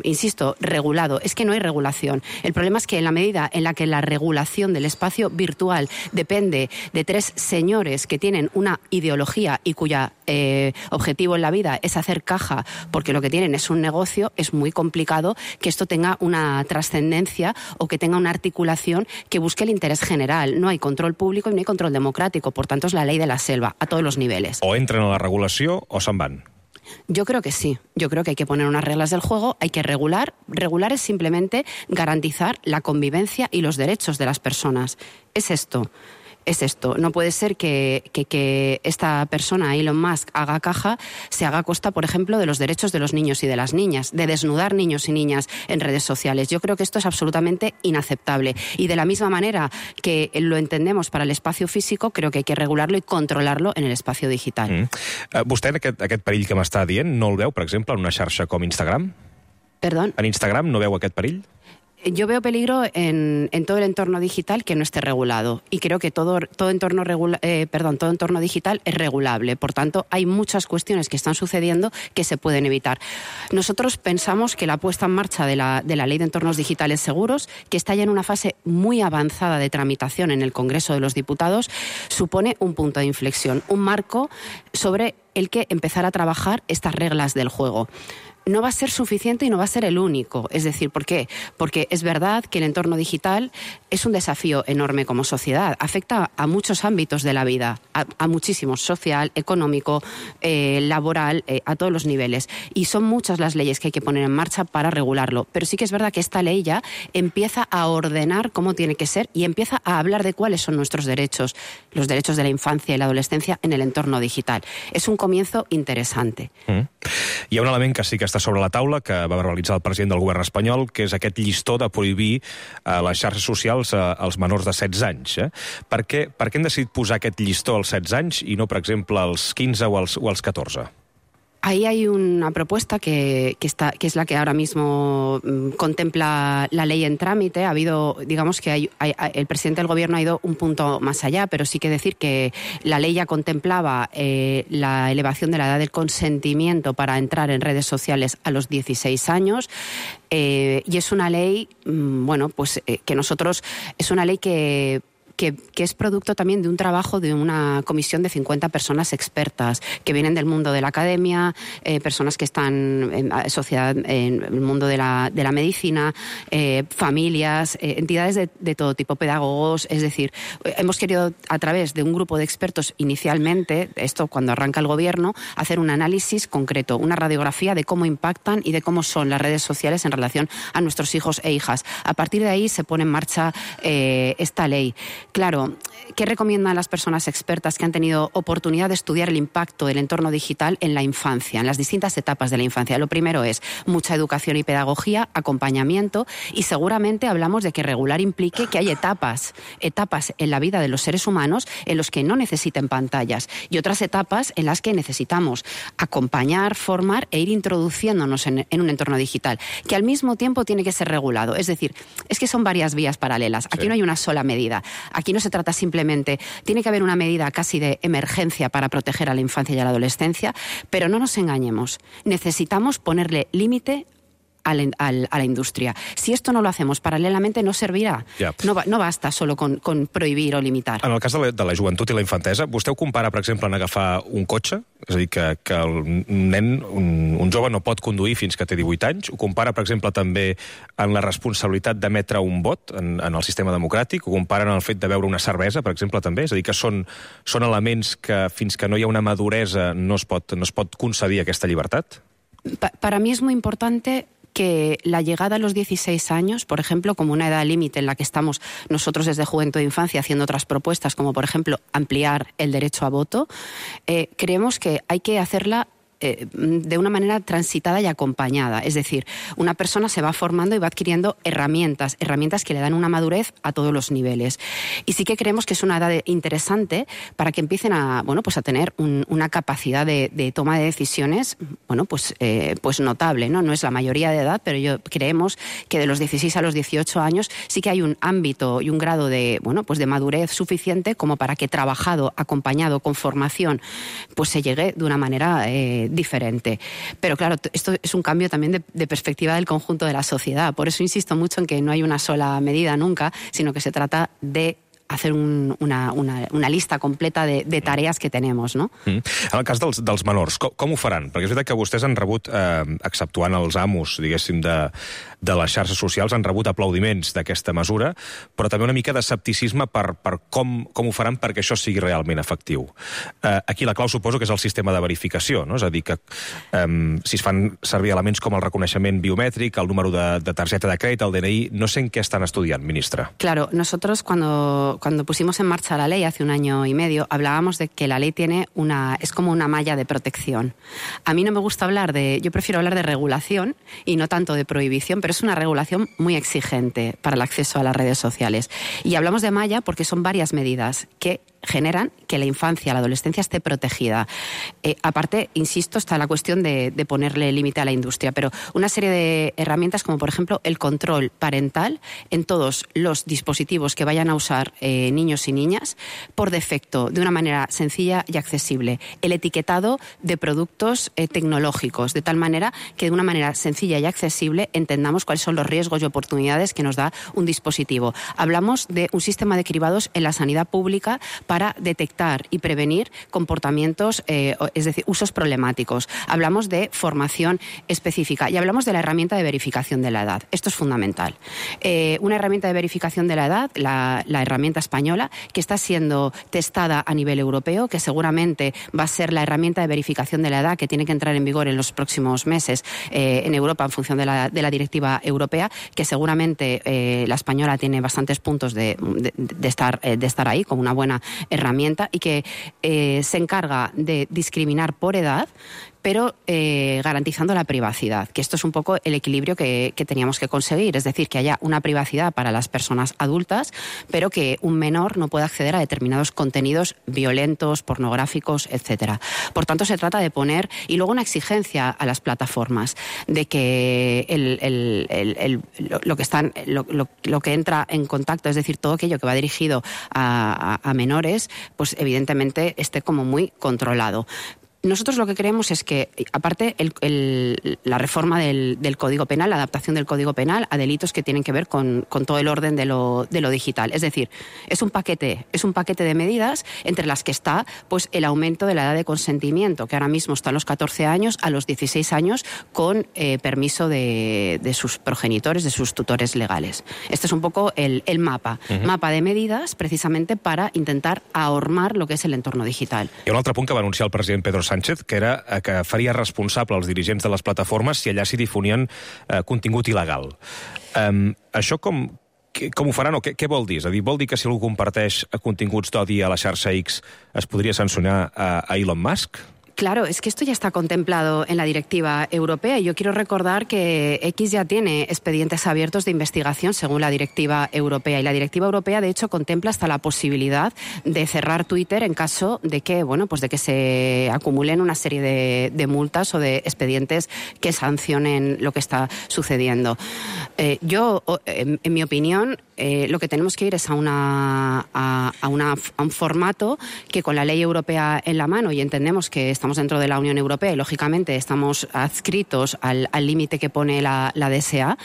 insisto, regulado. Es que no hay regulación. El problema es que en la medida en la que la regulación del espacio virtual depende de tres señores que tienen una ideología y cuya objetivo en la vida es hacer caja porque lo que tienen es un negocio, es muy complicado que esto tenga una trascendencia o que tenga una articulación que busque el interés general. No hay control público y no hay control democrático. Por tanto, es la ley de la selva, a todos los niveles. O entren a la regulació o se'n van. Yo creo que sí. Yo creo que hay que poner unas reglas del juego, hay que regular. Regular es simplemente garantizar la convivencia y los derechos de las personas. Es esto. No puede ser que esta persona, Elon Musk, haga caja, se haga a costa, por ejemplo, de los derechos de los niños y de las niñas, de desnudar niños y niñas en redes sociales. Yo creo que esto es absolutamente inaceptable. Y de la misma manera que lo entendemos para el espacio físico, creo que hay que regularlo y controlarlo en el espacio digital. Vostè, aquest perill que m'està dient, no el veu, per exemple, en una xarxa com Instagram? Perdón? En Instagram no veu aquest perill? Yo veo peligro en todo el entorno digital que no esté regulado, y creo que todo entorno digital es regulable. Por tanto, hay muchas cuestiones que están sucediendo que se pueden evitar. Nosotros pensamos que la puesta en marcha de la Ley de Entornos Digitales Seguros, que está ya en una fase muy avanzada de tramitación en el Congreso de los Diputados, supone un punto de inflexión, un marco sobre el que empezar a trabajar estas reglas del juego. No va a ser suficiente y no va a ser el único. Es decir, ¿por qué? Porque es verdad que el entorno digital es un desafío enorme como sociedad. Afecta a muchos ámbitos de la vida, a muchísimos, social, económico, laboral, a todos los niveles. Y son muchas las leyes que hay que poner en marcha para regularlo. Pero sí que es verdad que esta ley ya empieza a ordenar cómo tiene que ser y empieza a hablar de cuáles son nuestros derechos, los derechos de la infancia y la adolescencia en el entorno digital. Es un comienzo interesante. Hi ha un element que sí que està sobre la taula, que va verbalitzar el president del govern espanyol, que és aquest llistó de prohibir les xarxes socials als menors de 16 anys. Per què hem decidit posar aquest llistó als 16 anys i no, per exemple, als 15 o als 14? Ahí hay una propuesta que es la que ahora mismo contempla la ley en trámite. Ha habido, digamos que el presidente del gobierno ha ido un punto más allá, pero sí que decir que la ley ya contemplaba la elevación de la edad del consentimiento para entrar en redes sociales a los 16 años. Y es una ley, que nosotros, es una ley que es producto también de un trabajo de una comisión de 50 personas expertas que vienen del mundo de la academia, personas que están en el mundo de la medicina, familias, entidades de todo tipo, pedagogos. Es decir, hemos querido, a través de un grupo de expertos inicialmente, esto cuando arranca el gobierno, hacer un análisis concreto, una radiografía de cómo impactan y de cómo son las redes sociales en relación a nuestros hijos e hijas. A partir de ahí se pone en marcha esta ley. Claro, ¿qué recomiendan las personas expertas que han tenido oportunidad de estudiar el impacto del entorno digital en la infancia, en las distintas etapas de la infancia? Lo primero es mucha educación y pedagogía, acompañamiento, y seguramente hablamos de que regular implique que hay etapas en la vida de los seres humanos en los que no necesiten pantallas y otras etapas en las que necesitamos acompañar, formar e ir introduciéndonos en un entorno digital, que al mismo tiempo tiene que ser regulado. Es decir, es que son varias vías paralelas. Aquí no hay una sola medida. Aquí no se trata simplemente, tiene que haber una medida casi de emergencia para proteger a la infancia y a la adolescencia, pero no nos engañemos. Necesitamos ponerle límite a la indústria. Si esto no lo hacemos paralelamente, no servirà. Ja. No basta solo con prohibir o limitar. En el cas de la joventut i la infantesa, vostè ho compara, per exemple, en agafar un cotxe? És a dir, que el nen, un jove, no pot conduir fins que té 18 anys? Ho compara, per exemple, també en la responsabilitat d'emetre un vot en el sistema democràtic? Ho compara en el fet de beure una cervesa, per exemple, també? És a dir, que són elements que fins que no hi ha una maduresa no es pot concedir aquesta llibertat? Para mí es muy importante que la llegada a los 16 años, por ejemplo, como una edad límite en la que estamos nosotros desde Juventud e Infancia haciendo otras propuestas, como por ejemplo ampliar el derecho a voto, creemos que hay que hacerla de una manera transitada y acompañada. Es decir, una persona se va formando y va adquiriendo herramientas que le dan una madurez a todos los niveles. Y sí que creemos que es una edad interesante para que empiecen a tener una capacidad de toma de decisiones pues notable, ¿no? No es la mayoría de edad, pero creemos que de los 16 a los 18 años sí que hay un ámbito y un grado de madurez suficiente como para que trabajado, acompañado, con formación, pues se llegue de una manera diferente. Pero claro, esto es un cambio también de perspectiva del conjunto de la sociedad. Por eso insisto mucho en que no hay una sola medida nunca, sino que se trata de hacer una lista completa de tareas que tenemos, no? En el cas dels menors, com ho faran? Perquè és veritat que vostès han rebut, exceptuant els amos, diguéssim, de les xarxes socials, han rebut aplaudiments d'aquesta mesura, però també una mica d'escepticisme per com ho faran perquè això sigui realment efectiu. Aquí la clau suposo que és el sistema de verificació, no? És a dir, que si es fan servir elements com el reconeixement biomètric, el número de targeta de crèdit, el DNI, no sé en què estan estudiant, ministra. Claro, nosotros cuando pusimos en marcha la ley hace 1 año y medio, hablábamos de que la ley es como una malla de protección. A mí no me gusta yo prefiero hablar de regulación y no tanto de prohibición, pero es una regulación muy exigente para el acceso a las redes sociales. Y hablamos de malla porque son varias medidas que generan que la infancia, la adolescencia esté protegida. Aparte, insisto, está la cuestión de ponerle límite a la industria, pero una serie de herramientas como, por ejemplo, el control parental en todos los dispositivos que vayan a usar niños y niñas, por defecto, de una manera sencilla y accesible. El etiquetado de productos tecnológicos, de tal manera que de una manera sencilla y accesible entendamos cuáles son los riesgos y oportunidades que nos da un dispositivo. Hablamos de un sistema de cribados en la sanidad pública para detectar y prevenir comportamientos, es decir, usos problemáticos. Hablamos de formación específica y hablamos de la herramienta de verificación de la edad. Esto es fundamental. Una herramienta de verificación de la edad, la herramienta española, que está siendo testada a nivel europeo, que seguramente va a ser la herramienta de verificación de la edad que tiene que entrar en vigor en los próximos meses en Europa en función de la directiva europea, que seguramente la española tiene bastantes puntos de estar ahí como una buena herramienta y que se encarga de discriminar por edad, pero garantizando la privacidad, que esto es un poco el equilibrio que teníamos que conseguir, es decir, que haya una privacidad para las personas adultas, pero que un menor no pueda acceder a determinados contenidos violentos, pornográficos, etcétera. Por tanto, se trata de poner, y luego una exigencia a las plataformas, de que lo que entra en contacto, es decir, todo aquello que va dirigido a menores, pues evidentemente esté como muy controlado. Nosotros lo que creemos es que, aparte, la reforma del Código Penal, la adaptación del Código Penal a delitos que tienen que ver con todo el orden de lo digital. Es decir, es un paquete de medidas entre las que está pues el aumento de la edad de consentimiento, que ahora mismo está a los 14 años, a los 16 años, con permiso de sus progenitores, de sus tutores legales. Este es un poco el mapa de medidas, precisamente para intentar ahormar lo que es el entorno digital. Hi ha un altre punt que va anunciar el president Pedro Sánchez, que era que faria responsable els dirigents de les plataformes si allà s'hi difonien contingut il·legal. Això Com ho faran o què vol dir? És a dir, vol dir que si algú comparteix continguts d'odi a la xarxa X es podria sancionar a Elon Musk? Claro, es que esto ya está contemplado en la directiva europea y yo quiero recordar que X ya tiene expedientes abiertos de investigación según la directiva europea y la directiva europea de hecho contempla hasta la posibilidad de cerrar Twitter en caso de que, bueno, pues de que se acumulen una serie de multas o de expedientes que sancionen lo que está sucediendo. Yo, en mi opinión, lo que tenemos que ir es a un formato que con la ley europea en la mano, y entendemos que estamos dentro de la Unión Europea y lógicamente estamos adscritos al límite que pone la DSA,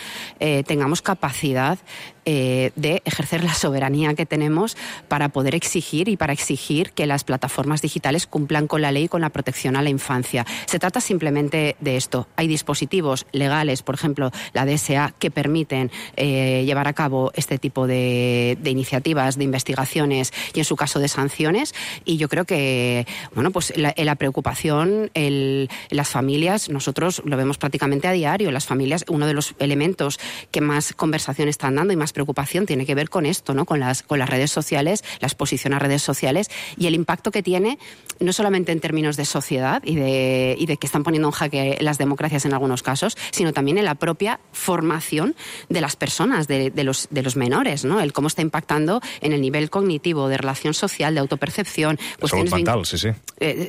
tengamos capacidad de ejercer la soberanía que tenemos para poder exigir y para exigir que las plataformas digitales cumplan con la ley y con la protección a la infancia. Se trata simplemente de esto. Hay dispositivos legales, por ejemplo, la DSA, que permiten llevar a cabo este tipo de iniciativas, de investigaciones y, en su caso, de sanciones. Y yo creo que, bueno, pues la preocupación, las familias, nosotros lo vemos prácticamente a diario. Las familias, uno de los elementos que más conversación están dando y más preocupación tiene que ver con esto, ¿no? Con las redes sociales, la exposición a redes sociales y el impacto que tiene, no solamente en términos de sociedad y de que están poniendo en jaque las democracias en algunos casos, sino también en la propia formación de las personas, de los menores, ¿no? El cómo está impactando en el nivel cognitivo, de relación social, de autopercepción. Salud mental, sí.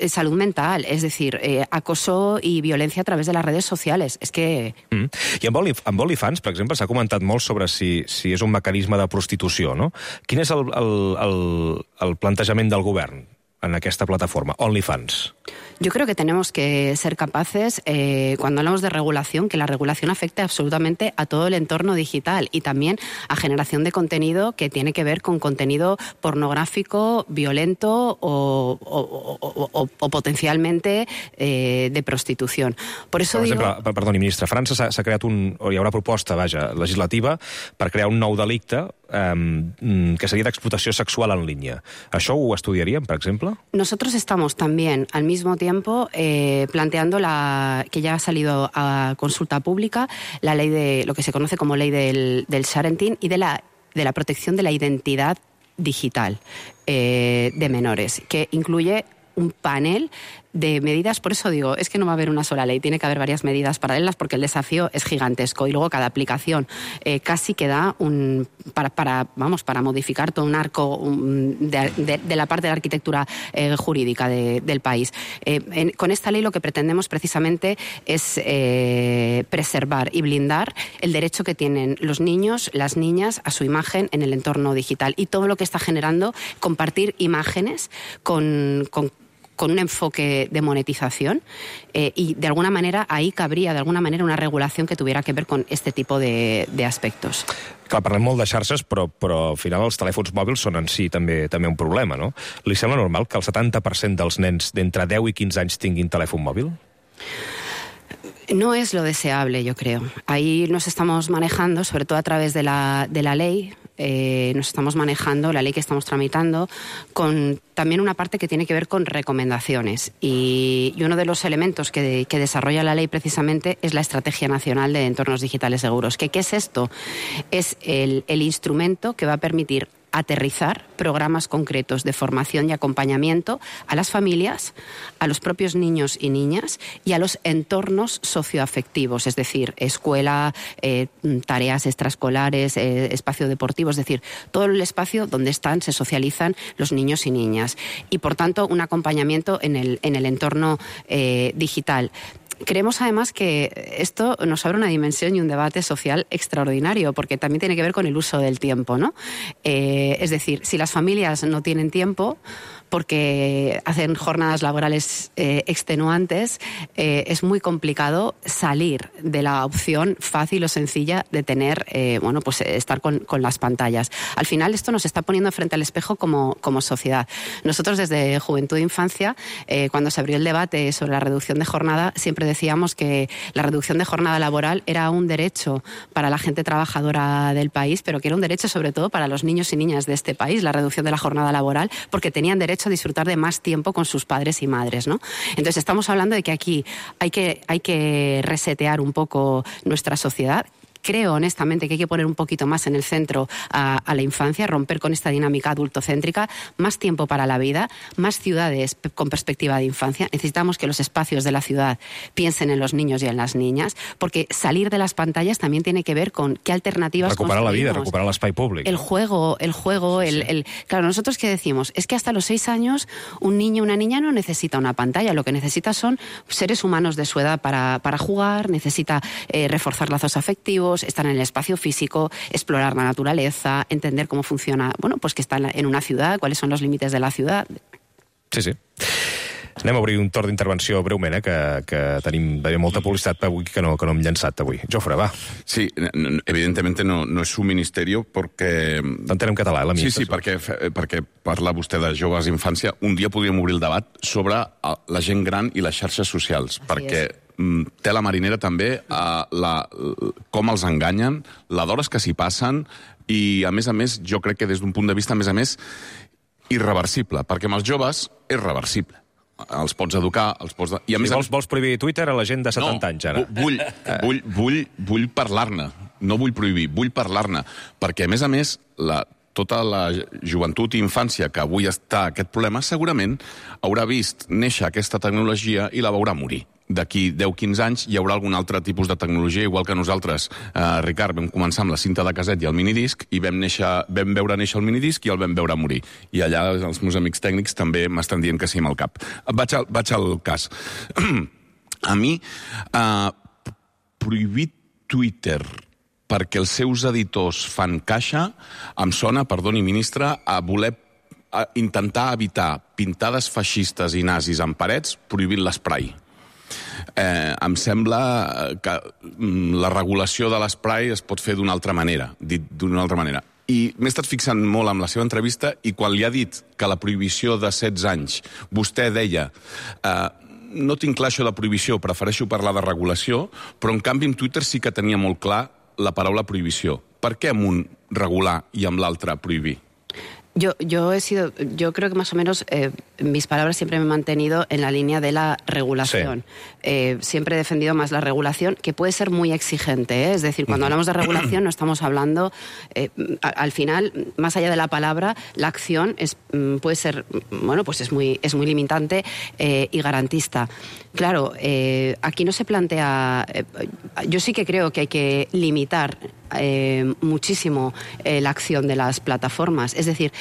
Salud mental, es decir, acoso i violència a través de les redes socials. És que... I amb OnlyFans, per exemple, s'ha comentat molt sobre si és un mecanisme de prostitució, no? Quin és el plantejament del govern en aquesta plataforma, OnlyFans? Yo creo que tenemos que ser capaces, cuando hablamos de regulación, que la regulación afecte absolutamente a todo el entorno digital y también a generación de contenido que tiene que ver con contenido pornográfico, violento o potencialmente de prostitución. Por eso per exemple, perdoni, ministre, a França s'ha creat hi haurà proposta, legislativa per crear un nou delicte que sería de explotación sexual en línea. ¿Això ho estudiarían, por ejemplo? Nosotros estamos también, al mismo tiempo, planteando que ya ha salido a consulta pública la ley de lo que se conoce como ley del sharenting y de la protección de la identidad digital de menores, que incluye un panel de medidas. Por eso digo, es que no va a haber una sola ley, tiene que haber varias medidas paralelas porque el desafío es gigantesco y luego cada aplicación casi que da para modificar todo un arco de la parte de la arquitectura jurídica del país. Con esta ley lo que pretendemos precisamente es preservar y blindar el derecho que tienen los niños, las niñas a su imagen en el entorno digital y todo lo que está generando compartir imágenes con un enfoque de monetización y de alguna manera ahí cabría de alguna manera una regulación que tuviera que ver con este tipo de aspectos. Clar, parlem molt de xarxes, però al final els telèfons mòbils són en si també un problema, no? Li sembla normal que el 70% dels nens d'entre 10 i 15 anys tinguin telèfon mòbil? No es lo deseable, yo creo. Ahí nos estamos manejando, sobre todo a través de la ley, nos estamos manejando, la ley que estamos tramitando, con también una parte que tiene que ver con recomendaciones. Y uno de los elementos que desarrolla la ley precisamente es la Estrategia Nacional de Entornos Digitales Seguros. ¿Qué es esto? Es el instrumento que va a permitir aterrizar programas concretos de formación y acompañamiento a las familias, a los propios niños y niñas y a los entornos socioafectivos, es decir, escuela, tareas extraescolares, espacio deportivo, es decir, todo el espacio donde se socializan los niños y niñas. Y, por tanto, un acompañamiento en el entorno digital. Creemos además que esto nos abre una dimensión y un debate social extraordinario, porque también tiene que ver con el uso del tiempo, ¿no? Es decir, si las familias no tienen tiempo porque hacen jornadas laborales extenuantes, es muy complicado salir de la opción fácil o sencilla de tener, pues estar con las pantallas. Al final esto nos está poniendo frente al espejo como sociedad. Nosotros desde Juventud e Infancia, cuando se abrió el debate sobre la reducción de jornada, siempre decíamos que la reducción de jornada laboral era un derecho para la gente trabajadora del país, pero que era un derecho sobre todo para los niños y niñas de este país, la reducción de la jornada laboral, porque tenían derecho a disfrutar de más tiempo con sus padres y madres, ¿no? Entonces estamos hablando de que aquí hay que resetear un poco nuestra sociedad, creo honestamente que hay que poner un poquito más en el centro a la infancia, romper con esta dinámica adultocéntrica, más tiempo para la vida, más ciudades con perspectiva de infancia. Necesitamos que los espacios de la ciudad piensen en los niños y en las niñas, porque salir de las pantallas también tiene que ver con qué alternativas recuperar la vida, recuperar l'espai públic. El juego, Claro, nosotros ¿qué decimos? Es que hasta los 6 años un niño o una niña no necesita una pantalla, lo que necesita son seres humanos de su edad para jugar, necesita reforzar lazos afectivos, estar en el espacio físico, explorar la naturaleza, entender cómo funciona, bueno, pues que está en una ciudad, cuáles son los límites de la ciudad. Sí. Anem a obrir un torn d'intervenció breument, que tenim molta publicitat avui que no hem llançat avui. Jofre, va. Sí, evidentemente no es su ministerio porque... T'entenem en català, Sí, perquè parla vostè de joves d'infància. Un dia podríem obrir el debat sobre la gent gran i les xarxes socials, perquè té la marinera també com els enganyen, la d'hores que s'hi passen, i a més, jo crec que des d'un punt de vista, a més, irreversible, perquè amb els joves és reversible. Els pots educar, els pots... I a més, vols prohibir Twitter a la gent de 70 anys, ara? No, vull parlar-ne. No vull prohibir, vull parlar-ne. Perquè, a més, tota la joventut i infància que avui està aquest problema, segurament haurà vist néixer aquesta tecnologia i la veurà morir. D'aquí 10-15 anys hi haurà algun altre tipus de tecnologia, igual que nosaltres, Ricard, vam començar amb la cinta de caset i el minidisc, i vam veure néixer el minidisc i el vam veure morir. I allà els meus amics tècnics també m'estan dient que sí amb el cap. Vaig al cas. A mi, prohibir Twitter perquè els seus editors fan caixa, em sona, perdoni, ministre, a voler intentar evitar pintades feixistes i nazis en parets prohibint l'esprai. Em sembla que la regulació de l'esprai es pot fer d'una altra manera, dit d'una altra manera. I m'he estat fixant molt amb la seva entrevista, i quan li ha dit que la prohibició de 16 anys, vostè deia no tinc clar això de prohibició, prefereixo parlar de regulació, però en canvi en Twitter sí que tenia molt clar la paraula prohibició. Per què amb un regular i amb l'altre prohibir? Yo creo que más o menos mis palabras siempre me he mantenido en la línea de la regulación. Sí. Siempre he defendido más la regulación, que puede ser muy exigente, ¿eh? Es decir, cuando hablamos de regulación no estamos hablando, al final, más allá de la palabra, la acción puede ser, bueno, pues es muy limitante y garantista. Claro, aquí no se plantea... yo sí que creo que hay que limitar muchísimo la acción de las plataformas. Es decir,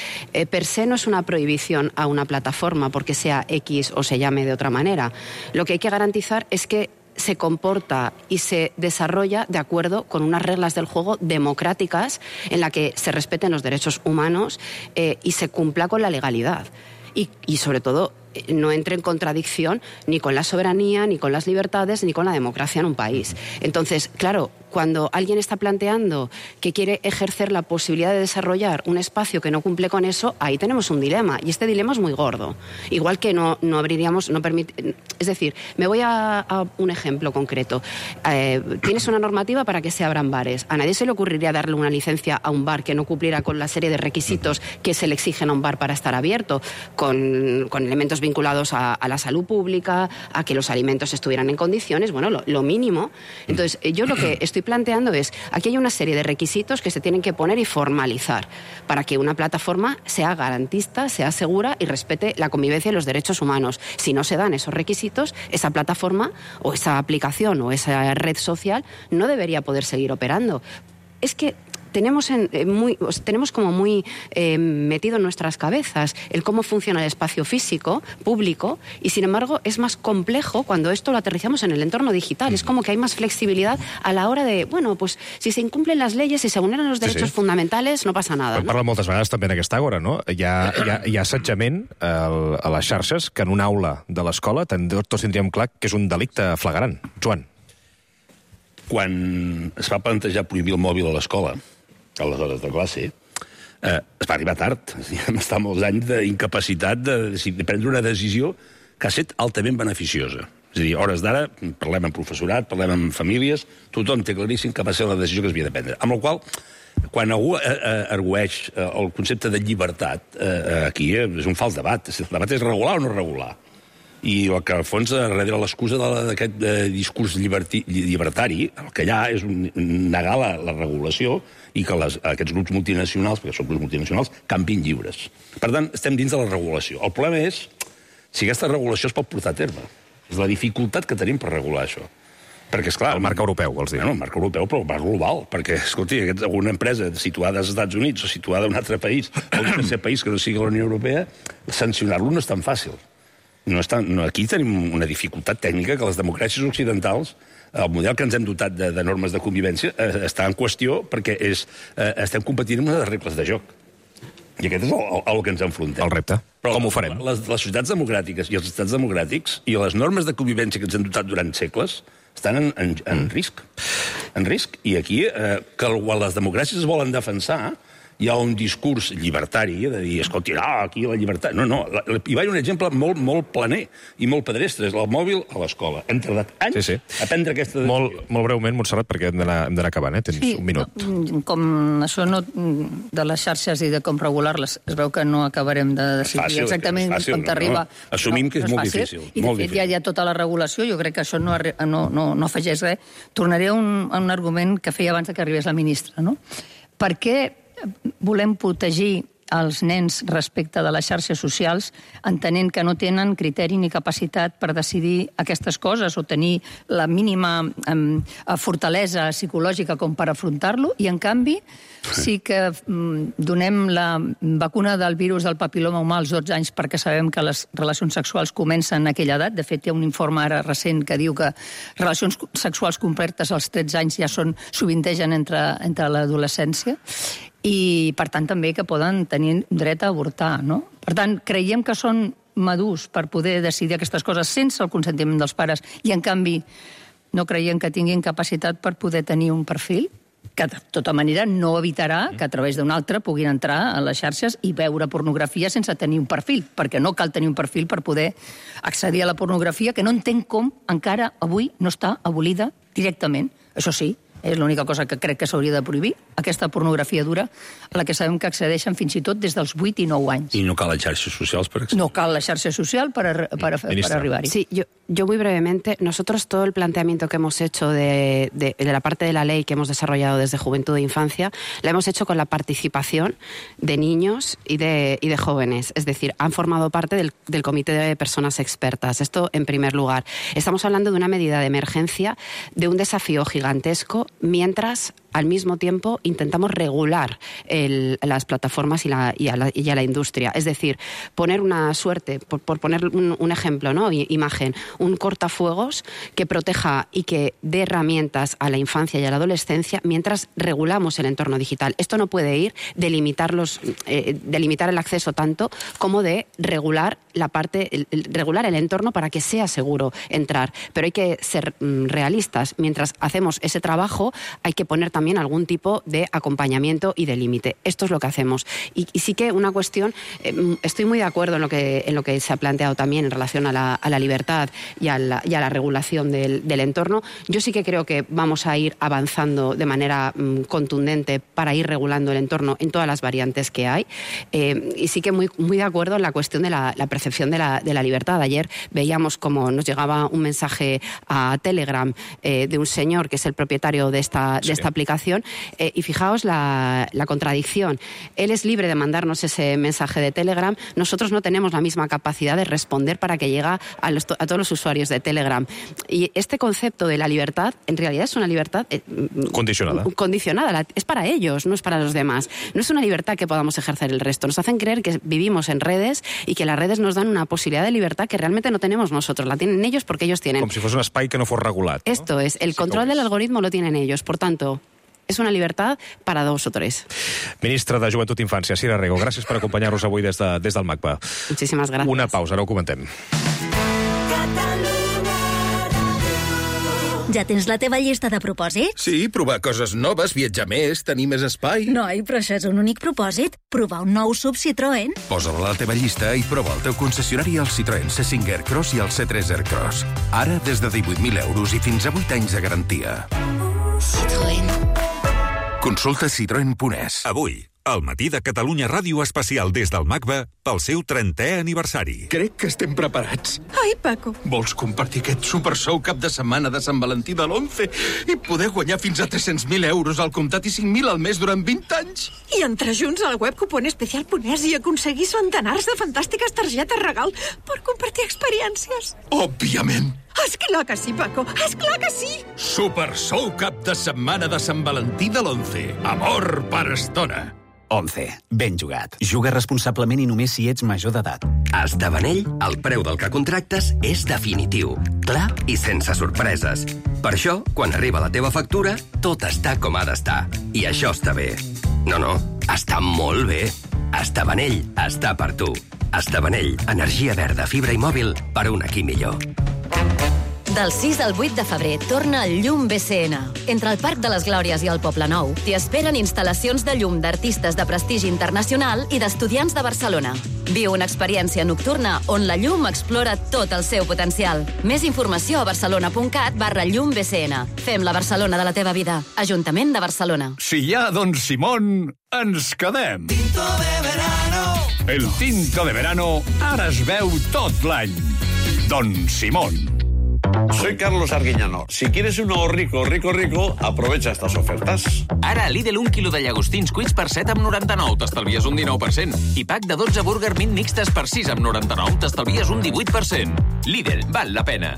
per se no es una prohibición a una plataforma porque sea X o se llame de otra manera. Lo que hay que garantizar es que se comporta y se desarrolla de acuerdo con unas reglas del juego democráticas en la que se respeten los derechos humanos y se cumpla con la legalidad. Y sobre todo, no entre en contradicción ni con la soberanía, ni con las libertades, ni con la democracia en un país. Entonces, claro, cuando alguien está planteando que quiere ejercer la posibilidad de desarrollar un espacio que no cumple con eso, ahí tenemos un dilema. Y este dilema es muy gordo. Igual que no abriríamos... Es decir, me voy a un ejemplo concreto. Tienes una normativa para que se abran bares. A nadie se le ocurriría darle una licencia a un bar que no cumpliera con la serie de requisitos que se le exigen a un bar para estar abierto, con elementos vinculados a la salud pública, a que los alimentos estuvieran en condiciones, bueno, lo mínimo. Entonces, yo lo que estoy planteando es, aquí hay una serie de requisitos que se tienen que poner y formalizar para que una plataforma sea garantista, sea segura y respete la convivencia y los derechos humanos. Si no se dan esos requisitos, esa plataforma o esa aplicación o esa red social no debería poder seguir operando. Es que tenemos como muy metido en nuestras cabezas el cómo funciona el espacio físico, público, y sin embargo es más complejo cuando esto lo aterrizamos en el entorno digital. Es como que hay más flexibilidad a la hora de, bueno, pues si se incumplen las leyes, si se vulneran los derechos fundamentals, no passa nada. Parla moltes vegades també en aquesta hora, no? Hi ha assetjament a les xarxes que en una aula de l'escola tots tindríem clar que és un delicte flagrant. Joan. Quan es va plantejar prohibir el mòbil a l'escola, a les hores de classe, es va arribar tard. Vam estar molts anys d'incapacitat de prendre una decisió que ha estat altament beneficiosa. És a dir, a hores d'ara, parlem amb professorat, parlem amb famílies, tothom té claríssim que va ser la decisió que es havia de prendre. Amb la qual cosa, quan algú argueix el concepte de llibertat, aquí és un fals debat. El debat és regular o no regular. I el que, al fons, darrere l'excusa d'aquest discurs llibertari, el que hi ha és negar la regulació i que aquests grups multinacionals, perquè són grups multinacionals, campin lliures. Per tant, estem dins de la regulació. El problema és si aquesta regulació es pot portar a terme. És la dificultat que tenim per regular això. Perquè, esclar... El marc europeu, vols dir? No, el marc europeu, però el marc global. Perquè, escolti, una empresa situada als Estats Units o situada en un altre país, o un tercer país que no sigui la Unió Europea, sancionar-lo no és tan fàcil. Aquí tenim una dificultat tècnica que les democràcies occidentals, el model que ens hem dotat de normes de convivència, està en qüestió perquè estem competint amb les regles de joc. I aquest és el que ens enfrontem. El repte. Però com ho farem? Les societats democràtiques i els estats democràtics i les normes de convivència que ens hem dotat durant segles estan en risc. En risc. I aquí, quan les democràcies es volen defensar, hi ha un discurs llibertari de dir, escolti, aquí la llibertat... No, hi va haver un exemple molt planer i molt pedestre, és el mòbil a l'escola. Hem tardat anys a prendre aquesta decisió. Molt breument, Montserrat, perquè hem d'anar acabant, Tens un minut. Com això de les xarxes i de com regular-les, es veu que no acabarem de decidir exactament quan t'arriba... Assumim que és molt difícil. I de fet ja hi ha tota la regulació, jo crec que això no afegeix res. Tornaré a un argument que feia abans que arribés la ministra, no? Per què volem protegir els nens respecte de les xarxes socials, entenent que no tenen criteri ni capacitat per decidir aquestes coses o tenir la mínima fortalesa psicològica com per afrontar-lo, i en canvi sí que donem la vacuna del virus del papiloma humà als 12 anys perquè sabem que les relacions sexuals comencen a aquella edat. De fet, hi ha un informe ara recent que diu que relacions sexuals completes als 13 anys ja sovintegen entre l'adolescència, i, per tant, també que poden tenir dret a avortar, no? Per tant, creiem que són madurs per poder decidir aquestes coses sense el consentiment dels pares i, en canvi, no creiem que tinguin capacitat per poder tenir un perfil, que de tota manera no evitarà que a través d'un altre puguin entrar a les xarxes i veure pornografia sense tenir un perfil, perquè no cal tenir un perfil per poder accedir a la pornografia, que no entenc com encara avui no està abolida directament. Això sí, és l'única cosa que crec que s'hauria de prohibir, aquesta pornografia dura, a la que sabem que accedeixen fins i tot des dels 8 i 9 anys. I no cal les xarxes socials per accedir. No cal la xarxa social para arribar-hi. Sí, yo muy brevemente, nosotros todo el planteamiento que hemos hecho de la parte de la ley que hemos desarrollado desde Juventud e Infancia, la hemos hecho con la participación de niños y de jóvenes. Es decir, han formado parte del comité de personas expertas. Esto en primer lugar. Estamos hablando de una medida de emergencia, de un desafío gigantesco, mientras al mismo tiempo intentamos regular las plataformas y a la industria. Es decir, poner una suerte, por poner un ejemplo, ¿no? Imagen, un cortafuegos que proteja y que dé herramientas a la infancia y a la adolescencia mientras regulamos el entorno digital. Esto no puede ir de limitar el acceso tanto como de regular regular el entorno para que sea seguro entrar. Pero hay que ser realistas. Mientras hacemos ese trabajo, hay que poner también algún tipo de acompañamiento y de límite. Esto es lo que hacemos. Y sí que una cuestión, estoy muy de acuerdo en lo que se ha planteado también en relación a la libertad y a la regulación del entorno. Yo sí que creo que vamos a ir avanzando de manera contundente para ir regulando el entorno en todas las variantes que hay. Y sí que muy de acuerdo en la cuestión de la percepción de la libertad. Ayer veíamos como nos llegaba un mensaje a Telegram de un señor que es el propietario de esta aplicación, y fijaos la contradicción. Él es libre de mandarnos ese mensaje de Telegram, nosotros no tenemos la misma capacidad de responder para que llegue a todos los usuarios de Telegram. Y este concepto de la libertad, en realidad es una libertad condicionada. Es para ellos, no es para los demás. No es una libertad que podamos ejercer el resto. Nos hacen creer que vivimos en redes y que las redes nos dan una posibilidad de libertad que realmente no tenemos nosotros. La tienen ellos porque ellos tienen. Com si fos un espai que no fos regulat. ¿No? Esto es, el control del algoritmo lo tienen ellos. Por tanto, és una llibertat per a 2 o 3. Ministra de Joventut i Infància, Sira Rego, gràcies per acompanyar-nos avui des del MACBA. Muchísimas gracias. Una pausa, ara ho comentem. Ja tens la teva llista de propòsits? Sí, provar coses noves, viatjar més, tenir més espai. Noi, però això és un únic propòsit. Provar un nou SUV Citroën. Posa-la a la teva llista i prova el teu concessionari al Citroën C5 Aircross i el C3 Aircross. Ara des de 18.000 euros i fins a 8 anys de garantia. Citroën. Consulta citroen.es. Avui, El matí de Catalunya Ràdio especial des del MACBA pel seu 30è aniversari. Crec que estem preparats. Ai, Paco. Vols compartir aquest supersou cap de setmana de Sant Valentí de l'11 i poder guanyar fins a 300.000 euros al comptat i 5.000 al mes durant 20 anys? I entrar junts al web cuponespecial.es i aconseguir centenars de fantàstiques targetes regal per compartir experiències. Òbviament. Esclar que sí, Paco. Esclar que sí. Supersou cap de setmana de Sant Valentí de l'11. Amor per estona. 11. Ben jugat. Juga responsablement i només si ets major d'edat. A Estabanell, el preu del que contractes és definitiu, clar i sense sorpreses. Per això, quan arriba la teva factura, tot està com ha d'estar. I això està bé. No, està molt bé. Estabanell està per tu. Estabanell, energia verda, fibra i mòbil per un aquí millor. Del 6 al 8 de febrer torna el Llum BCN. Entre el Parc de les Glòries i el Poble Nou t'hi esperen instal·lacions de llum d'artistes de prestigi internacional i d'estudiants de Barcelona. Viu una experiència nocturna on la llum explora tot el seu potencial. Més informació a barcelona.cat/llumbcn. Fem la Barcelona de la teva vida. Ajuntament de Barcelona. Si hi ha Don Simón, ens quedem. Tinto de verano. El tinto de verano ara es veu tot l'any. Don Simón. Soy Carlos Arguiñano. Si quieres un nuevo rico, aprovecha estas ofertas. Ara a Lidl 1 quilo de llagostins cuits per 7,99, t'estalvies un 19%. I pack de 12 burger mint mixtes per 6,99, t'estalvies un 18%. Lidl, val la pena.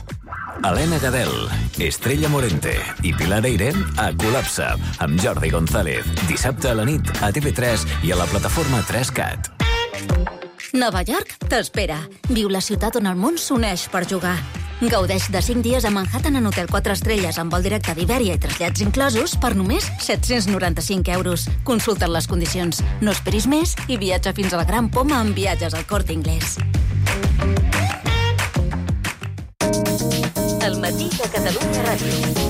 Helena Gadel, Estrella Morente i Pilar Eirem a Col·lapse amb Jordi González. Dissabte a la nit a TV3 i a la plataforma 3CAT. Nova York t'espera. Viu la ciutat on el món s'uneix per jugar. Gaudeix de 5 dies a Manhattan en hotel 4 estrelles amb vol directe d'Ibèria i trasllats inclosos per només 795 euros. Consulta'n les condicions. No esperis més i viatja fins a la Gran Poma amb viatges al Corte Inglés. El matí de Catalunya Ràdio.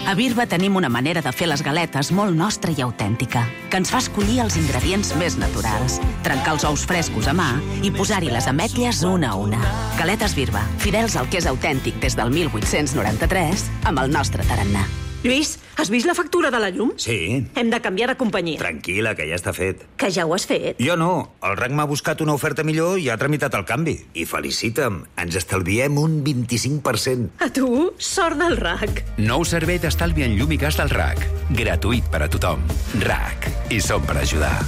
A Birba tenim una manera de fer les galetes molt nostra i autèntica, que ens fa escollir els ingredients més naturals, trencar els ous frescos a mà i posar-hi les ametlles una a una. Galetes Birba, fidels al que és autèntic des del 1893, amb el nostre tarannà. Lluís, has vist la factura de la llum? Sí. Hem de canviar de companyia. Tranquil·la, que ja està fet. Que ja ho has fet? Jo no. El RAC m'ha buscat una oferta millor i ha tramitat el canvi. I felicita'm, ens estalviem un 25%. A tu, sort del RAC. Nou servei d'estalvi en llum i gas del RAC. Gratuït per a tothom. RAC. I som per ajudar.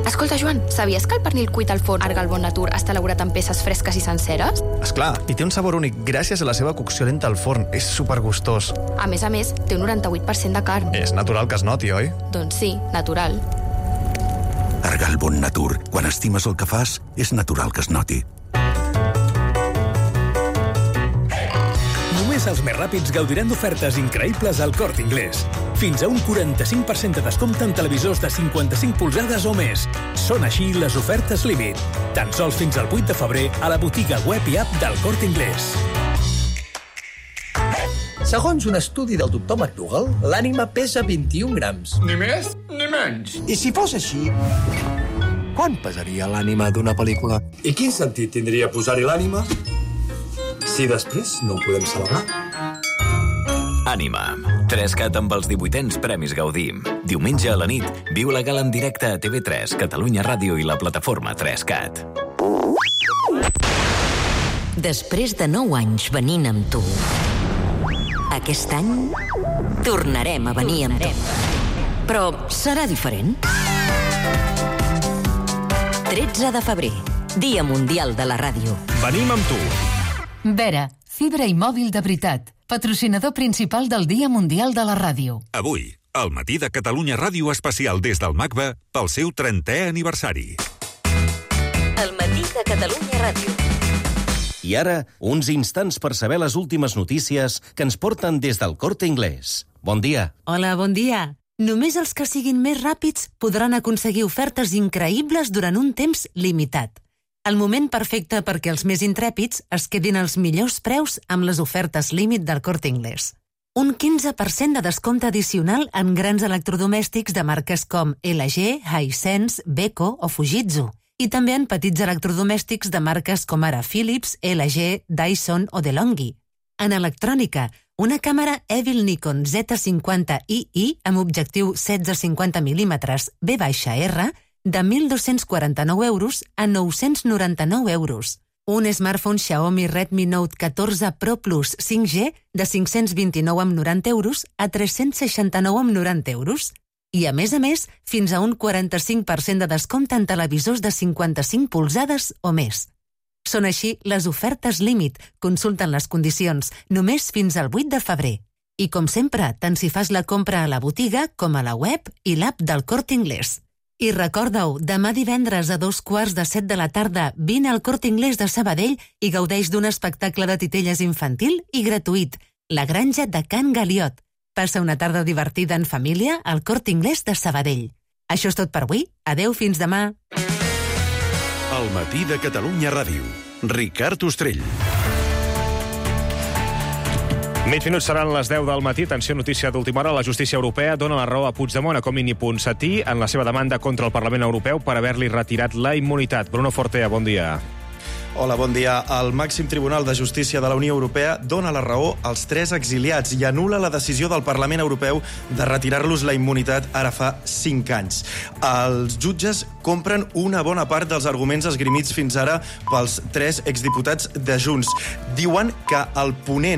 Escolta, Joan, sabies que el pernil cuit al forn Argal Bon Natur està elaborat amb peces fresques i senceres? Esclar, i té un sabor únic gràcies a la seva cocció lenta al forn. És supergustós. A més, té un 98% de carn. És natural que es noti, oi? Doncs sí, natural. Argal Bon Natur. Quan estimes el que fas, és natural que es noti. Només els més ràpids gaudiran d'ofertes increïbles al Corte Inglés. Fins a un 45% de descompte en televisors de 55 polzades o més. Són així les ofertes límit. Tan sols fins al 8 de febrer a la botiga web i app del Corte Inglés. Segons un estudi del doctor McDougall, l'ànima pesa 21 grams. Ni més ni menys. I si fos així, quant pesaria l'ànima d'una pel·lícula? I quin sentit tindria posar-hi l'ànima si després no ho podem celebrar? Ànima. 3CAT amb els 18ens Premis Gaudí. Diumenge a la nit, viu la gala en directe a TV3, Catalunya Ràdio i la plataforma 3CAT. Després de 9 anys venint amb tu, aquest any tornarem a venir amb tu. Però serà diferent. 13 de febrer, Dia Mundial de la Ràdio. Venim amb tu. Vera, fibra i mòbil de veritat. Patrocinador principal del Dia Mundial de la Ràdio. Avui, al matí de Catalunya Ràdio especial des del MACBA pel seu 30è aniversari. El matí de Catalunya Ràdio. I ara, uns instants per saber les últimes notícies que ens porten des del Corte Inglés. Bon dia. Hola, bon dia. Només els que siguin més ràpids podran aconseguir ofertes increïbles durant un temps limitat. El moment perfecte perquè els més intrèpids es quedin als millors preus amb les ofertes límit del Corte Inglés. Un 15% de descompte addicional en grans electrodomèstics de marques com LG, Hisense, Beko o Fujitsu. I també en petits electrodomèstics de marques com ara Philips, LG, Dyson o DeLonghi. En electrònica, una càmera Evil Nikon Z50II amb objectiu 16-50 mm B/R de 1.249 euros a 999 euros. Un smartphone Xiaomi Redmi Note 14 Pro Plus 5G de 529,90 euros a 369,90 euros. I, a més, fins a un 45% de descompte en televisors de 55 polzades o més. Són així les ofertes límit. Consulten les condicions només fins al 8 de febrer. I, com sempre, tant si fas la compra a la botiga com a la web i l'app del Corte Inglés. I recorda-ho, demà divendres a 6:15 de la tarda vine al Corte Inglés de Sabadell i gaudeix d'un espectacle de titelles infantil i gratuït, La granja de Can Galiot. Passa una tarda divertida en família al Corte Inglés de Sabadell. Això és tot per avui. Adeu, fins demà. El matí de Catalunya Ràdio. Ricard Ostrell. Mig minuts seran les 10 del matí. Atenció, notícia d'última hora. La justícia europea dona la raó a Puigdemont, a Comín i Ponsatí en la seva demanda contra el Parlament Europeu per haver-li retirat la immunitat. Bruno Fortea, bon dia. Hola, bon dia. El màxim tribunal de justícia de la Unió Europea dona la raó als 3 exiliats i anul·la la decisió del Parlament Europeu de retirar-los la immunitat ara fa 5 anys. Els jutges compren una bona part dels arguments esgrimits fins ara pels 3 exdiputats de Junts. Diuen que el ponent